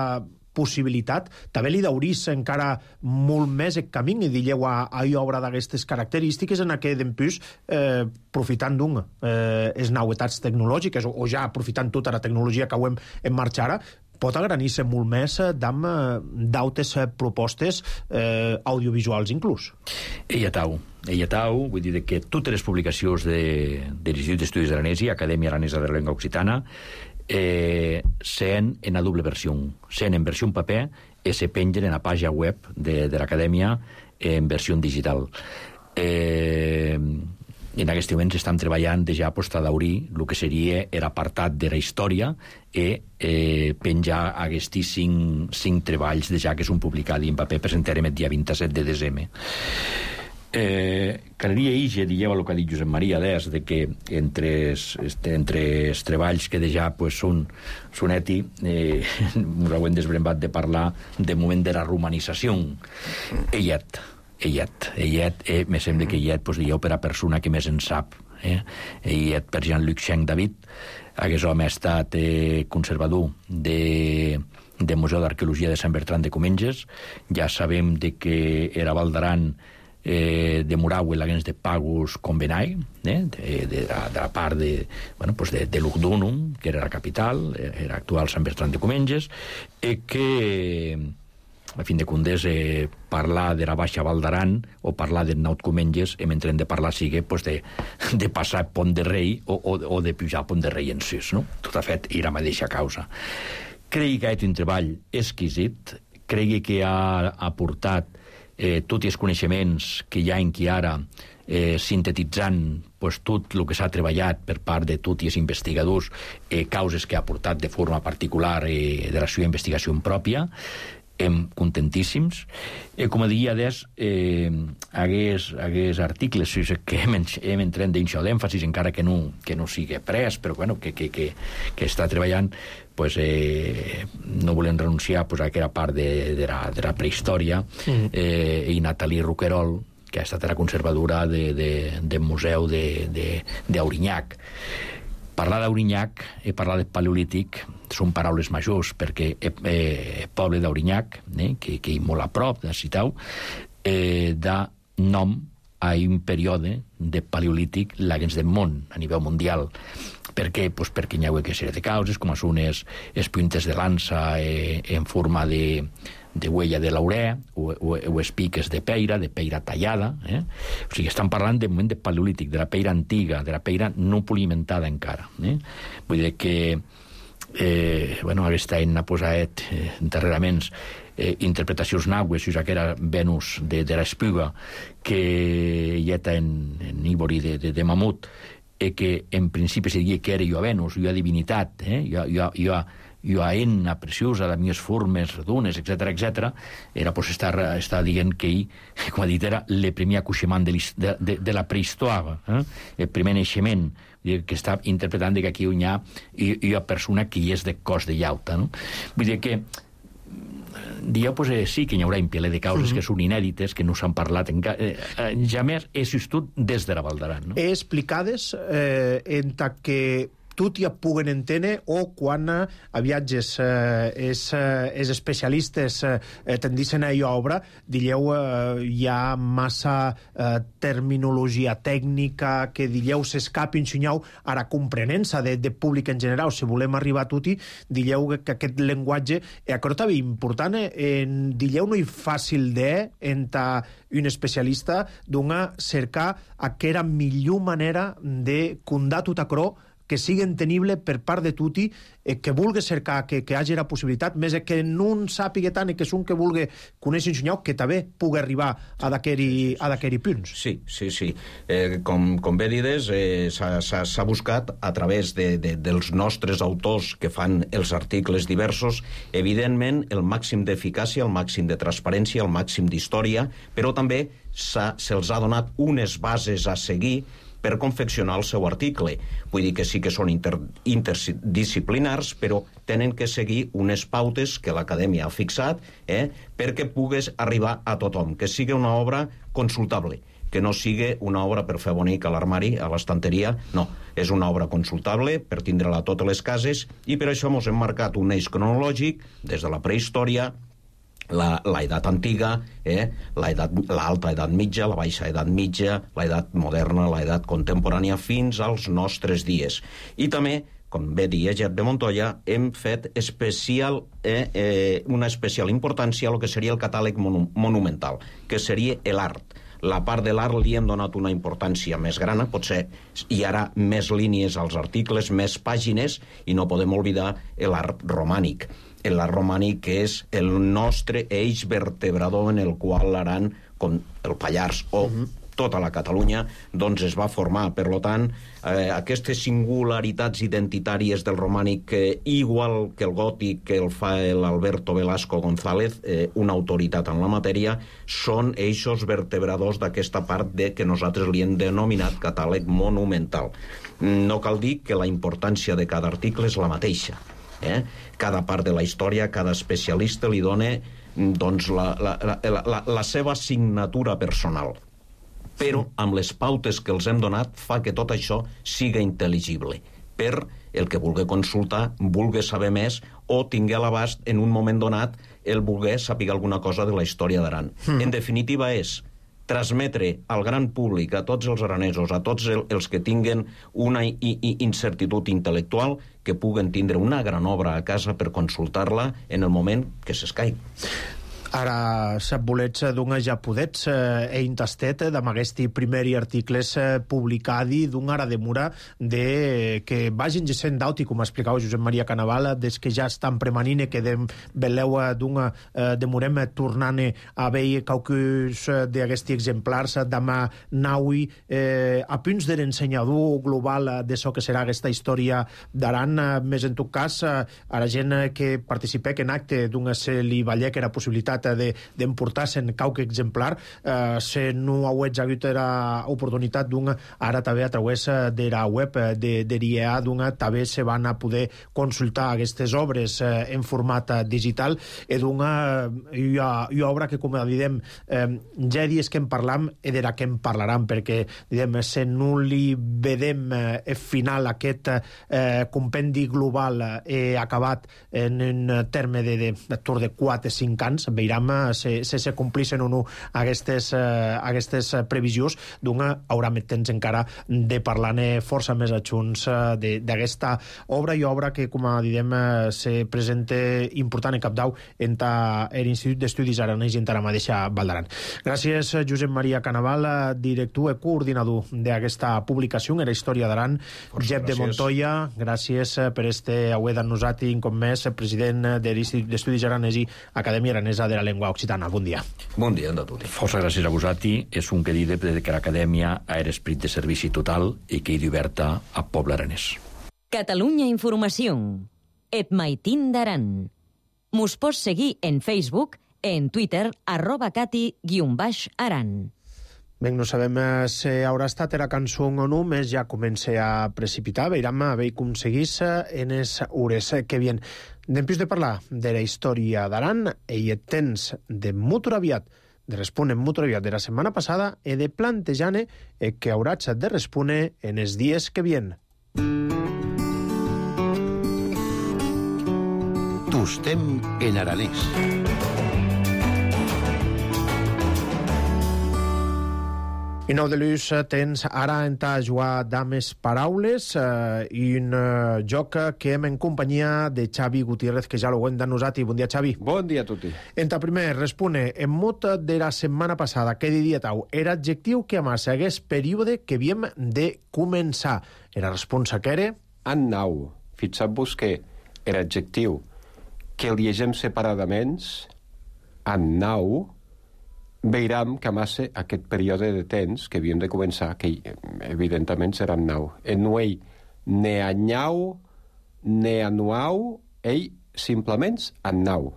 possibilitat, també li daurís encara molt més el camí i dir-lhe a, a obra d'aquestes característiques en què d'empús, eh, profitant d'un eh, les novetats tecnològiques o, o ja aprofitant tota la tecnologia que ho hem en marxa ara, pot agranir-se molt més d'am d'autes propostes eh, audiovisuals inclús. Ella tau, ella tau, vull dir que totes les publicacions de, de l'Institut d'Estudis Aranesi, Acadèmia Aranesa de la Llengua Occitana, eh, sean en la doble versió, sean en versió en paper i se pengen en la pàgina web de, de l'Acadèmia en versió digital. Eh, en aquest moment estem treballant de ja a daurir el que seria l'apartat de la història i eh, penjar aquests cinc, cinc treballs de ja que són publicats en paper, presentarem el dia vint-i-set de desembre. Eh, caleria ixe, dieu el que ha dit Josep Maria des, de que entre els, entre els treballs que deja pues, són soneti, eh, ens hauem desbrembat de parlar de moment de la romanització. Ellet, ellet, ellet, eh, me sembla que ellet, pues, dieu per a persona que més en sap. Eh? Ellet per Jean-Luc Schenck David, aquest home ha estat eh, conservador de... del Museu d'Arqueologia de Sant Bertran de Comenges. Ja sabem de que era Val d'Aran eh, de Murau, l'agents de Pagus Convenai, eh, de, de, la, de la part de, bueno, pues de, de Lugdunum, que era la capital, era actual Sant Bertran de Comenges, i que, a fin de comptes, eh, parlar de la Baixa Val d'Aran o parlar de Naut Comenges, hem entret de parlar, sigui, pues de, de passar Pont de Rei o, o, o de pujar Pont de Rei en sis, no? Tot ha fet i la mateixa causa. Cregui que ha estat un treball exquisit, cregui que ha aportat eh, tots els coneixements que hi ha en qui ara, eh, sintetitzant pues, tot el que s'ha treballat per part de tots els investigadors, eh, causes que ha aportat de forma particular eh, de la seva investigació pròpia. Em contentíssims. Eh, com a dia des, eh, hagués, hagués articles que hem, hem entrat d'això d'èmfasis, encara que no, que no sigui pres, però bueno, que, que, que, que està treballant, pues, eh, no volem renunciar pues, a aquella part de, de, la, de la prehistòria, mm. eh, i Nathalie Roquerol, que ha estat la conservadora de, de, del museu d'Aurignac. Parlar d'Aurignac i parlar de Paleolític són paraules majors, perquè el eh, poble d'Aurignac, eh, que, que és molt a prop de Citau, eh, da nom a un període de Paleolític l'haguens del món, a nivell mundial. Per què? Pues perquè hi ha una sèrie de causes, com són les, les puntes de lança eh, en forma de, de huella de l'aurer, o, o, o les piques de peira, de peira tallada. Eh? O sigui, estan parlant de moment de Paleolític, de la peira antiga, de la peira no polimentada encara. Eh? Vull dir que eh, bueno, aquest any ha posat eh, darrerament eh, interpretacions naues, ja que era Venus de, de l'Espiga, que hi ha en, en Ívori de, de, de Mamut, i que en principi se diria que era jo a Venus, jo a divinitat, eh? jo, jo, jo, jo a enna preciosa, de mies formes, redunes, etcètera, etcètera, era pues, estar, estar dient que ell, com ha dit, era el primer acuixement de, de, de, de la prehistòria, eh? el primer naixement, que està interpretant que aquí hi ha una persona que hi és de cos de llauta. No? Vull dir que dia, pues, eh, sí que hi haurà un piler de causes mm-hmm. que són inèdites, que no s'han parlat encara. Eh, eh, ja més he assistit des de la Val d'Aran. No? He explicades eh, en ta que tot ja puguen entendre o quan a viatges eh, és, eh, és especialistes eh, tendissin a allò obra, dilleu eh, hi ha massa eh, terminologia tècnica que dilleu s'escapin xinyau ara comprenença de, de públic en general, si volem arribar a tutti, dilleu que, que aquest llenguatge eh, això també important, eh, en, dilleu no és fàcil de enta un especialista d'una cercar aquella millor manera de condar tot això que sigui entenible per part de tutti, eh, que vulgui cercar que, que hagi la possibilitat, més que no en sàpiga tant i que és un que vulgui conèixer un senyor, que també pugui arribar a d'aquells punts. Sí, sí, sí. Eh, com, com bé dides, eh, s'ha buscat a través de, de, dels nostres autors que fan els articles diversos, evidentment, el màxim d'eficàcia, el màxim de transparència, el màxim d'història, però també se'ls ha donat unes bases a seguir per confeccionar el seu article. Vull dir que sí que són inter, interdisciplinars, però tenen que seguir unes pautes que l'acadèmia ha fixat eh, perquè pugues arribar a tothom, que sigui una obra consultable, que no sigui una obra per fer bonic a l'armari, a l'estanteria, no. És una obra consultable per tindre-la a totes les cases i per això ens hem marcat un eix cronològic des de la prehistòria, la, la edat antiga, eh? l'alta edat mitja, la baixa edat mitja, la edat moderna, la edat contemporània, fins als nostres dies. I també, com bé deia Jep de Montoya, hem fet especial, eh, eh, una especial importància a lo que seria el catàleg monu monumental, que seria l'art. La part de l'art li hem donat una importància més gran, potser hi haurà més línies als articles, més pàgines, i no podem oblidar l'art romànic. L'art romànic és el nostre eix vertebrador en el qual l'Aran, com el Pallars o uh -huh. tota la Catalunya, doncs es va formar. Per tant, eh, aquestes singularitats identitàries del romànic, eh, igual que el gòtic que el fa l'Alberto Velasco González, eh, una autoritat en la matèria, són eixos vertebradors d'aquesta part de que nosaltres li hem denominat catàleg monumental. No cal dir que la importància de cada article és la mateixa. Eh? Cada part de la història, cada especialista li dona doncs, la, la, la, la, la seva signatura personal. Però amb les pautes que els hem donat fa que tot això siga intel·ligible per el que vulgui consultar, vulgui saber més o tingui a l'abast en un moment donat el vulgui saber alguna cosa de la història d'Aran. Mm. En definitiva és transmetre al gran públic, a tots els aranesos, a tots el, els que tinguen una i, i, incertitud intel·lectual, que puguen tindre una gran obra a casa per consultar-la en el moment que s'escaigui. Ara sap bolets d'un ja podets eh, ein tastet damb aguesti primeri articles eh, publicadi d'un ara demora de que vagin gesent d'auti, com explicau Josep Maria Canaval, des que ja estan premanint que dem veleu d'un eh, demorem tornant a veure caucus d'aquesti exemplars damb naui eh, a punts de l'ensenyador global de so que serà aquesta història d'Aran, eh, més en tot cas eh, a la gent que participec en acte d'un se li vallec era possibilitat d'emportar-se'n cauc exemplar, eh, se no hauets hagut era oportunitat d'un ara també a través de la web de, de l'I E A d'un també se van a poder consultar aquestes obres eh, en format digital i d'una i obra que, com diem, eh, ja dies que en parlam i de la que en parlaran, perquè diem, se no li vedem eh, final aquest eh, compendi global eh, acabat en un terme de, de, de, de quatre o cinc anys, veiem se, se, se complixen o no aquestes, eh, aquestes previsions, d'una haurà més temps encara de parlar-ne força més adjunts eh, d'aquesta obra i obra que, com diem, eh, se presenta important en capdau en l'Institut d'Estudis Aranès i en la mateixa Val d'Aran. Gràcies, Josep Maria Canaval, director i coordinador d'aquesta publicació en la història d'Aran. Jep de Montoya, gràcies per este aué d'annosat i com més president de l'Institut d'Estudis Aranès i Acadèmia Aranesa de la Llengua Occitana. Bon dia. Bon dia a tutti. Força gràcies a vosaltres. És un que diu que l'Acadèmia ha esprit de servici total i que hi oberta a poble aranès. Catalunya Informació. Et maitin d'Aran. Mos pots seguir en Facebook, en Twitter, arroba cati guion baix aran. Bé, no sabem si haurà estat era cançó o no, més ja comença a precipitar. Veiram a veure com seguís en les hores que vien. D'empús de parlar de la història d'Aran i et temps de molt aviat, de respondre molt aviat de la setmana passada i de plantejar-ne que hauràs de respondre en els dies que vien. Tostem en aranès. I nou de l'ús tens ara en ta jugar dames paraules eh, i un eh, joc que hem en companyia de Xavi Gutiérrez, que ja l'ho hem denosat. Bon dia, Xavi. Bon dia a tutti. En ta primer, respone, en mot de la setmana passada, què diria tau? Era adjectiu que amassa hagués període que havíem de començar. Era responsa que era? En nau. Fixat-vos que era adjectiu que el llegem separadament, en nau, veiram que amassa aquest període de temps que havíem de començar, que evidentment serà en nau. En nuei ne anyau, ne anuau, ell simplement en nau.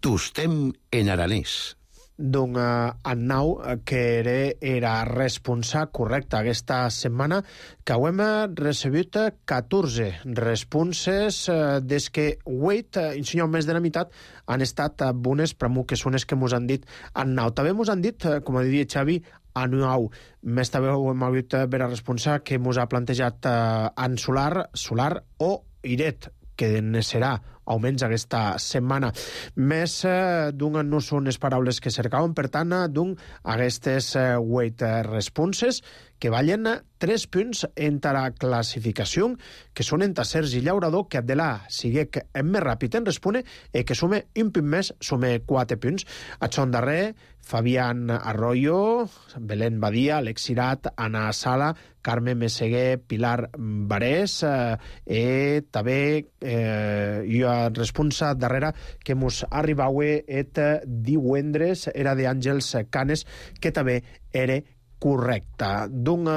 Tostem en aranès. D'un uh, annau que era, era responsable correcte aquesta setmana, que ho hem recebut catorze responses uh, des que huit, uh, insinuar més de la meitat, han estat uh, bones, però que són les que mos han dit annau. També mos han dit, uh, com diria Xavi, anuau. Més també ho hem hagut uh, vera responsable que mos ha plantejat uh, en solar, solar o iret, que ne serà almenys aquesta setmana. Més eh, d'un no són les paraules que cercaven, per tant, d'un aquestes eh, vuit responses que vallen tres punts en la classificació, que són en Sergi Llaurador, que de la sigui que és més ràpid en respondre i que sume un punt més, sume quatre punts. A Xon Darrer, Fabián Arroyo, Belén Badia, Alex Sirat, Anna Sala, Carme Meseguer, Pilar Barés, eh, i també eh, jo responsa darrere que mos arribava et divendres era d'Àngels Canes, que també era correcta. D'un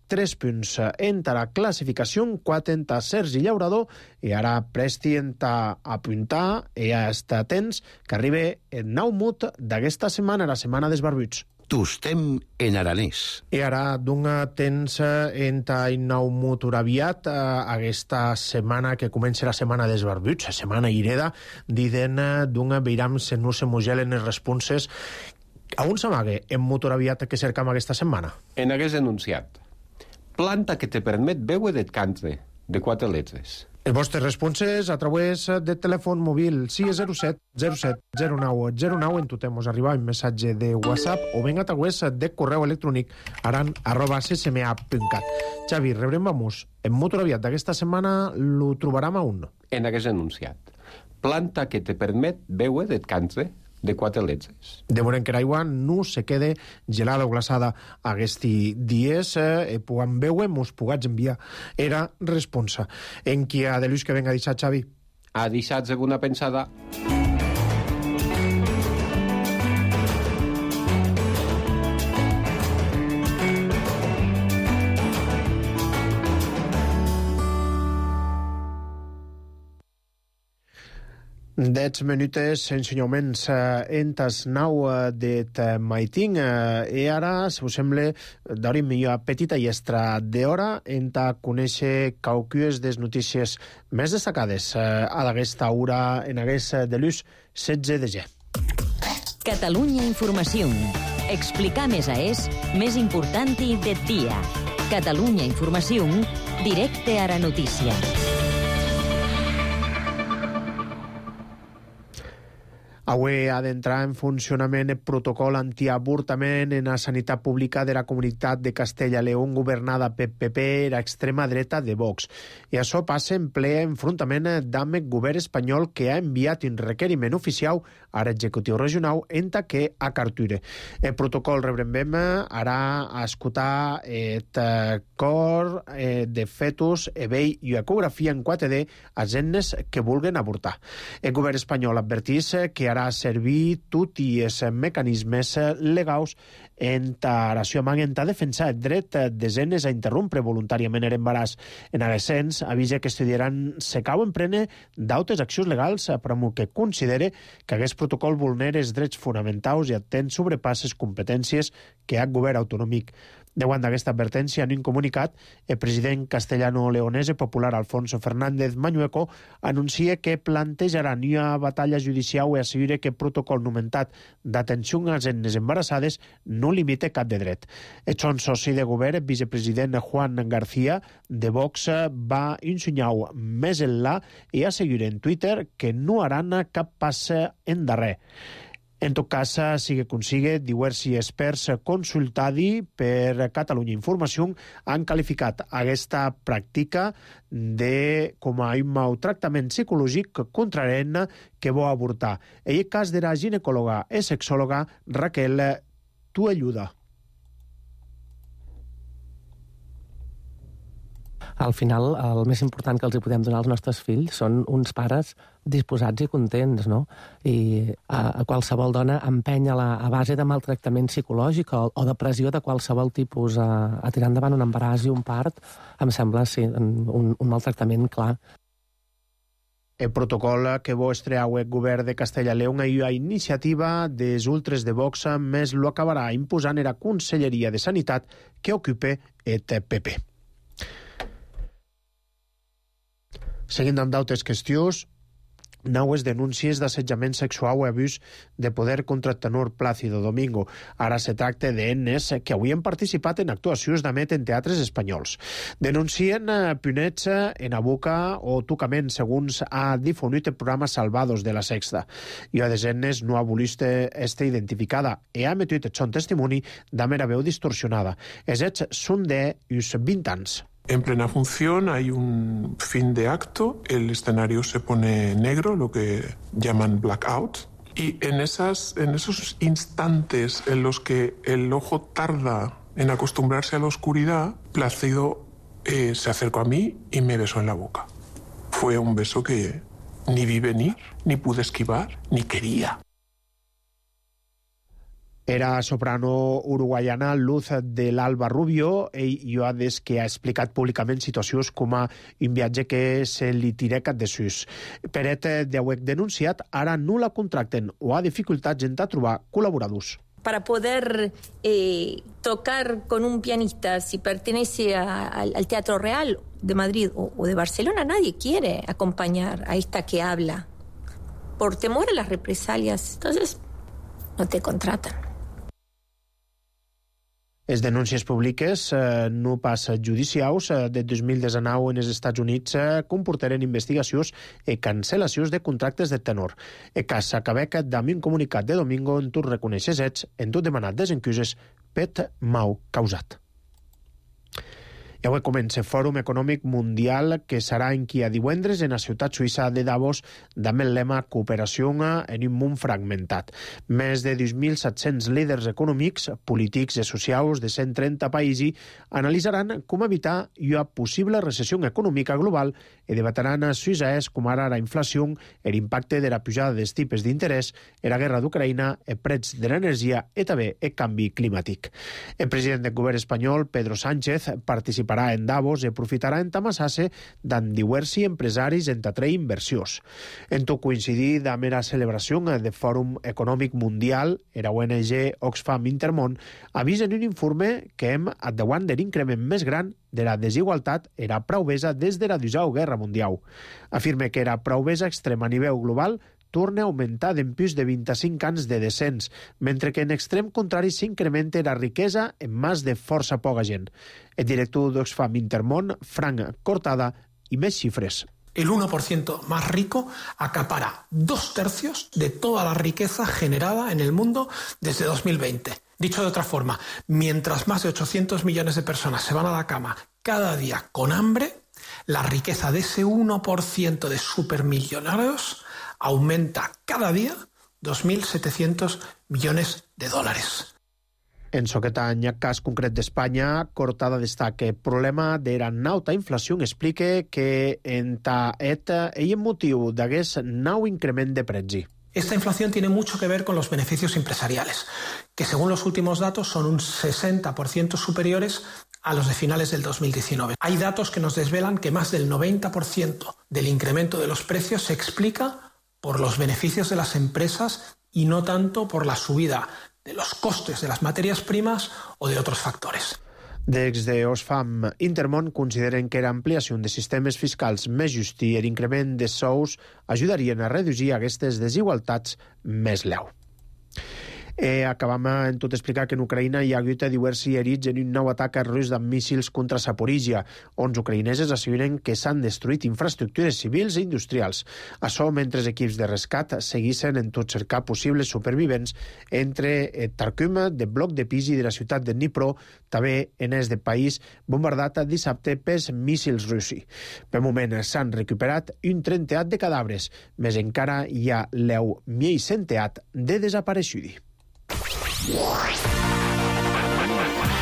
tres punts entre la classificació, quatre entre Sergi Llaurador, i ara presti a apuntar i a estar atents que arriba el nou mut d'aquesta setmana, la setmana dels barbuts. Tostem en aranès. I ara d'un temps entre el nou mut aviat aquesta setmana que comença la setmana dels barbuts, la setmana ireda, diden d'un veiram se no se mogelen les responses. A on s'amaga en motor aviat que cercam aquesta setmana? En hagués enunciat. Planta que te permet veure de cante, de quatre lletres. Les vostres responses a través de telèfon mòbil sis zero set zero set zero nou zero nou, en totem us arriba un missatge de WhatsApp o ben a través de correu electrònic aran arroba ccma punt cat. Xavi, rebrem vamos. En motor aviat d'aquesta setmana lo trobarem a un. En hagués enunciat. Planta que te permet veure de cante, de quatre lletres. De moment que l'aigua no se quede gelada o glaçada aquests dies, eh, puguem veure, mos pugats enviar. Era responsa. En qui ha de l'ús que venga a deixar, Xavi? Ha deixat alguna pensada? Dets minutes ensenyaments eh, entes nau eh, det maiting eh, i ara, si us sembla, d'hora millor petita i extra d'hora enta conèixer caucues des notícies més destacades eh, a d'aquesta hora en hagués de l'ús setze de ge. Catalunya Informació. Explicar més a és més important de dia. Catalunya Informació, directe a la notícia. Avui ha d'entrar en funcionament el protocol antiavortament en la sanitat pública de la comunitat de Castella-León governada per P P i l'extrema dreta de Vox. I això passa en ple enfrontament amb el govern espanyol que ha enviat un requeriment oficial a l'executiu regional enta que a Carture. El protocol rebrem ara a escoltar el cor de fetus, ebell i ecografia en quatre D a gennes que vulguen avortar. El govern espanyol advertís que ara servir tots els mecanismes legals en relació amb a defensar el dret de dones a interrompre voluntàriament l'embaràs. En aquest sens, avisa que estudiaran se cau en prene d'altres accions legals per que considere que aquest protocol vulnera els drets fonamentals i atén sobrepasses competències que ha el govern autonòmic. Davant d'aquesta advertència, en un comunicat, el president castellano-leonès popular Alfonso Fernández Mañueco anuncia que plantejarà una batalla judicial i assegura que el protocol nomentat d'atenció a les nenes embarassades no limita cap de dret. El son soci de govern, el vicepresident Juan García de Vox, va insinuar més enllà i assegura en Twitter que no haran cap pas endarrer. En tot cas, sigue com sigue, diversos experts consultats per Catalunya Informació han qualificat aquesta pràctica de, com a un maltractament psicològic contra la nena que vol avortar. En el cas de la ginecòloga i sexòloga Raquel Tuelluda. Al final, el més important que els hi podem donar als nostres fills són uns pares disposats i contents, no? I a, a qualsevol dona empenya la, a base de maltractament psicològic o, o de pressió de qualsevol tipus a, a tirar endavant un embaràs i un part, em sembla, sí, un, un maltractament clar. El protocol que vol estrear el govern de Castella-León i la iniciativa dels ultres de Vox més lo acabarà imposant la Conselleria de Sanitat que ocupa el P P. Seguint amb d'altres qüestions, noves denúncies d'assetjament sexual o abús de poder contra el tenor Plácido Domingo. Ara se tracta d'ennes que avui han participat en actuacions d'Amet en teatres espanyols. Denuncien punets en la boca o tocament, segons ha difonit el programa Salvados de la Sexta. I a desenes no ha volit estar identificada i ha emetit el son testimoni d'ama la veu distorsionada. Els hets són d'uns vint anys. En plena función hay un fin de acto, el escenario se pone negro, lo que llaman blackout, y en, esas, en esos instantes en los que el ojo tarda en acostumbrarse a la oscuridad, Plácido eh, se acercó a mí y me besó en la boca. Fue un beso que ni vi venir, ni pude esquivar, ni quería. Era soprano uruguaiana Luz de l'Alba Rubio, ell jo ha des que ha explicat públicament situacions com a un viatge que se li tirecat de sus. Peret d'hauec denunciat, ara no la contracten o ha dificultats en trobar col·laboradors. Para poder eh, tocar con un pianista, si pertenece a, al, al Teatro Real de Madrid o, o de Barcelona, nadie quiere acompañar a esta que habla por temor a las represalias. Entonces, no te contratan. Les denúncies públiques, eh, no pas judicials, eh, de dos mil dinou en els Estats Units eh, comportaren investigacions i cancel·lacions de contractes de tenor. El cas s'acabec d'amb un comunicat de domingo en tot reconeixes ets, en tot demanat desencuses, pet mau causat. I avui comença el Fòrum Econòmic Mundial que serà en qui a divendres en la ciutat suïssa de Davos amb el lema Cooperació en un món fragmentat. Més de dos mil set-cents líders econòmics, polítics i socials de cent trenta països analitzaran com evitar una possible recessió econòmica global i debatran suïsses com ara la inflació, l'impacte de la pujada dels tipus d'interès, la guerra d'Ucraïna, el preu de l'energia i també el canvi climàtic. El president del govern espanyol, Pedro Sánchez, participarà en Davos i aprofitarà en tamassar-se d'en diversos empresaris en atraure inversions. En tot coincidir amb la celebració del Fòrum Econòmic Mundial, la O N G Oxfam Intermón avisa en un informe que hem at davant de l'increment més gran de la desigualtat era prauvesa des de la Segona Guerra Mundial. Afirma que era prauvesa extrema a nivell global torna a augmentar d'empús de vint-i-cinc anys de descens, mentre que en extrem contrari s'incrementa la riquesa en mans de força poca gent. El director d'Oxfam Intermón, Frank Cortada, i més xifres. El uno por ciento más rico acapara dos tercios de toda la riqueza generada en el mundo desde dos mil veinte. Dicho de otra forma, mientras más de ochocientos millones de personas se van a la cama cada día con hambre, la riqueza de ese uno por ciento de supermillonarios aumenta cada día dos mil setecientos millones de dólares. En aquest any, cas concret d'Espanya, Cortada destaca el problema de la nauta inflació. Explica que en ta eta ell motiu d'aquest nou increment de preci. Esta inflación tiene mucho que ver con los beneficios empresariales, que según los últimos datos son un sesenta por ciento superiores a los de finales del dos mil diecinueve. Hay datos que nos desvelan que más del noventa por ciento del incremento de los precios se explica por los beneficios de las empresas y no tanto por la subida de los costes de las materias primas o de otros factores. Des de Oxfam Intermón consideren que l'ampliació de sistemes fiscals més justs i l'increment de sous ajudarien a reduir aquestes desigualtats més leu. Eh, acabam en tot explicar que en Ucraïna hi ha hagut diversos herits en un nou atac rus amb míssils contra Zaporizhia. Onze ucraïneses asseguren que s'han destruït infraestructures civils i industrials. Això mentre els equips de rescat seguissin en tot cercar possibles supervivents entre Tarkum, de bloc de Pisi de la ciutat de Dnipro, també en est del país bombardat dissabte pels míssils russi. Per moment s'han recuperat un trenteat de cadàvers, més encara hi ha l'eu mil centeat de desapareixudi.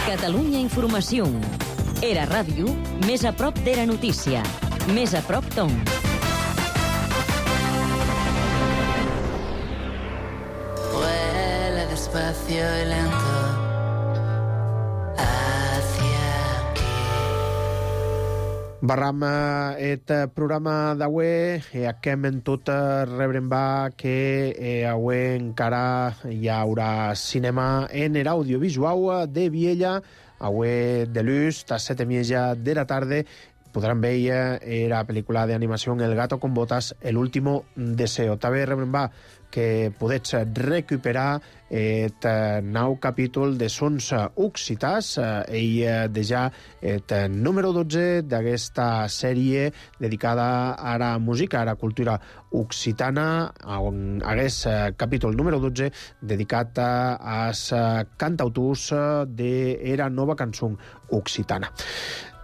Catalunya Informació. Era ràdio més a prop de la notícia. Més a prop d'on. Vuela despacio y lento hacia aquí. Barram et programa d'avui e acabem en tot rebrem va que avui encara hi haurà cinema en l'audiovisual de Viella, avui de l'ús, a set i mitja de la tarda podran veure la pel·lícula d'animació El gato con botas, El último deseo. També rebrem va que podets recuperar el nou capítol de Sons Occitans, ell de ja el número dotze d'aquesta sèrie dedicada a la música, a la cultura occitana, on hagués capítol número dotze dedicat als cantautors de la nova cançó occitana.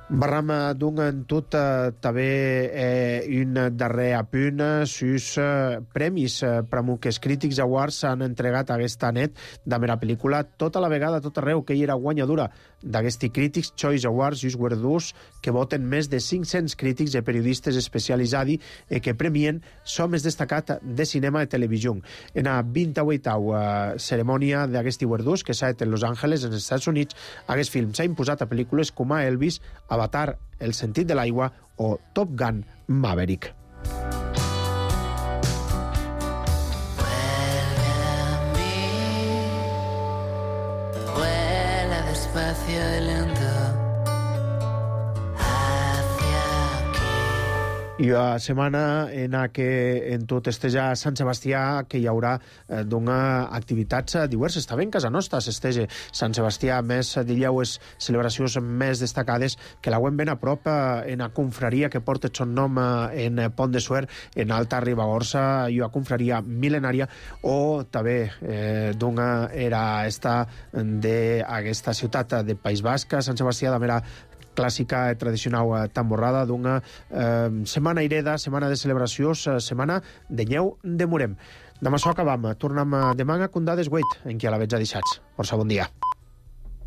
Barram d'un en tot eh, també eh, un darrer apunt sus eh, premis eh, Pramuques Critics Awards s'han entregat aquesta net de mera pel·lícula tota la vegada, tot arreu, que hi era guanyadora d'aquesti Critics Choice Awards, just guardons que voten més de cinc-cents crítics i periodistes especialitzats i que premien so més destacat de cinema i televisió. En la vint-i-vuitena uh, cerimònia d'aquesti guardons, que s'ha fet en Los Angeles, en els Estats Units, aquest film s'ha imposat a pel·lícules com a Elvis, Avatar, El sentit de l'aigua o Top Gun Maverick. Vuela despacio y lento. I a setmana en la que en tot esteja Sant Sebastià que hi haurà eh, d'una activitats diverses. També en casa nostra s'estege Sant Sebastià, més dilluns celebracions més destacades que la ben a prop eh, en la confraria que porta el son nom eh, en Pont de Suert, en Alta Ribagorça, i una confraria mil·lenària, o també eh, d'una era esta d'aquesta ciutat de País Basc, Sant Sebastià, de mera clàssica i tradicional tamborrada d'una eh, setmana ireda, setmana de celebracions, eh, setmana de nyeu de Murem. Demà s'ho acabam. Tornem demà a Condades Wait, en qui a la veig a deixats. Força bon dia.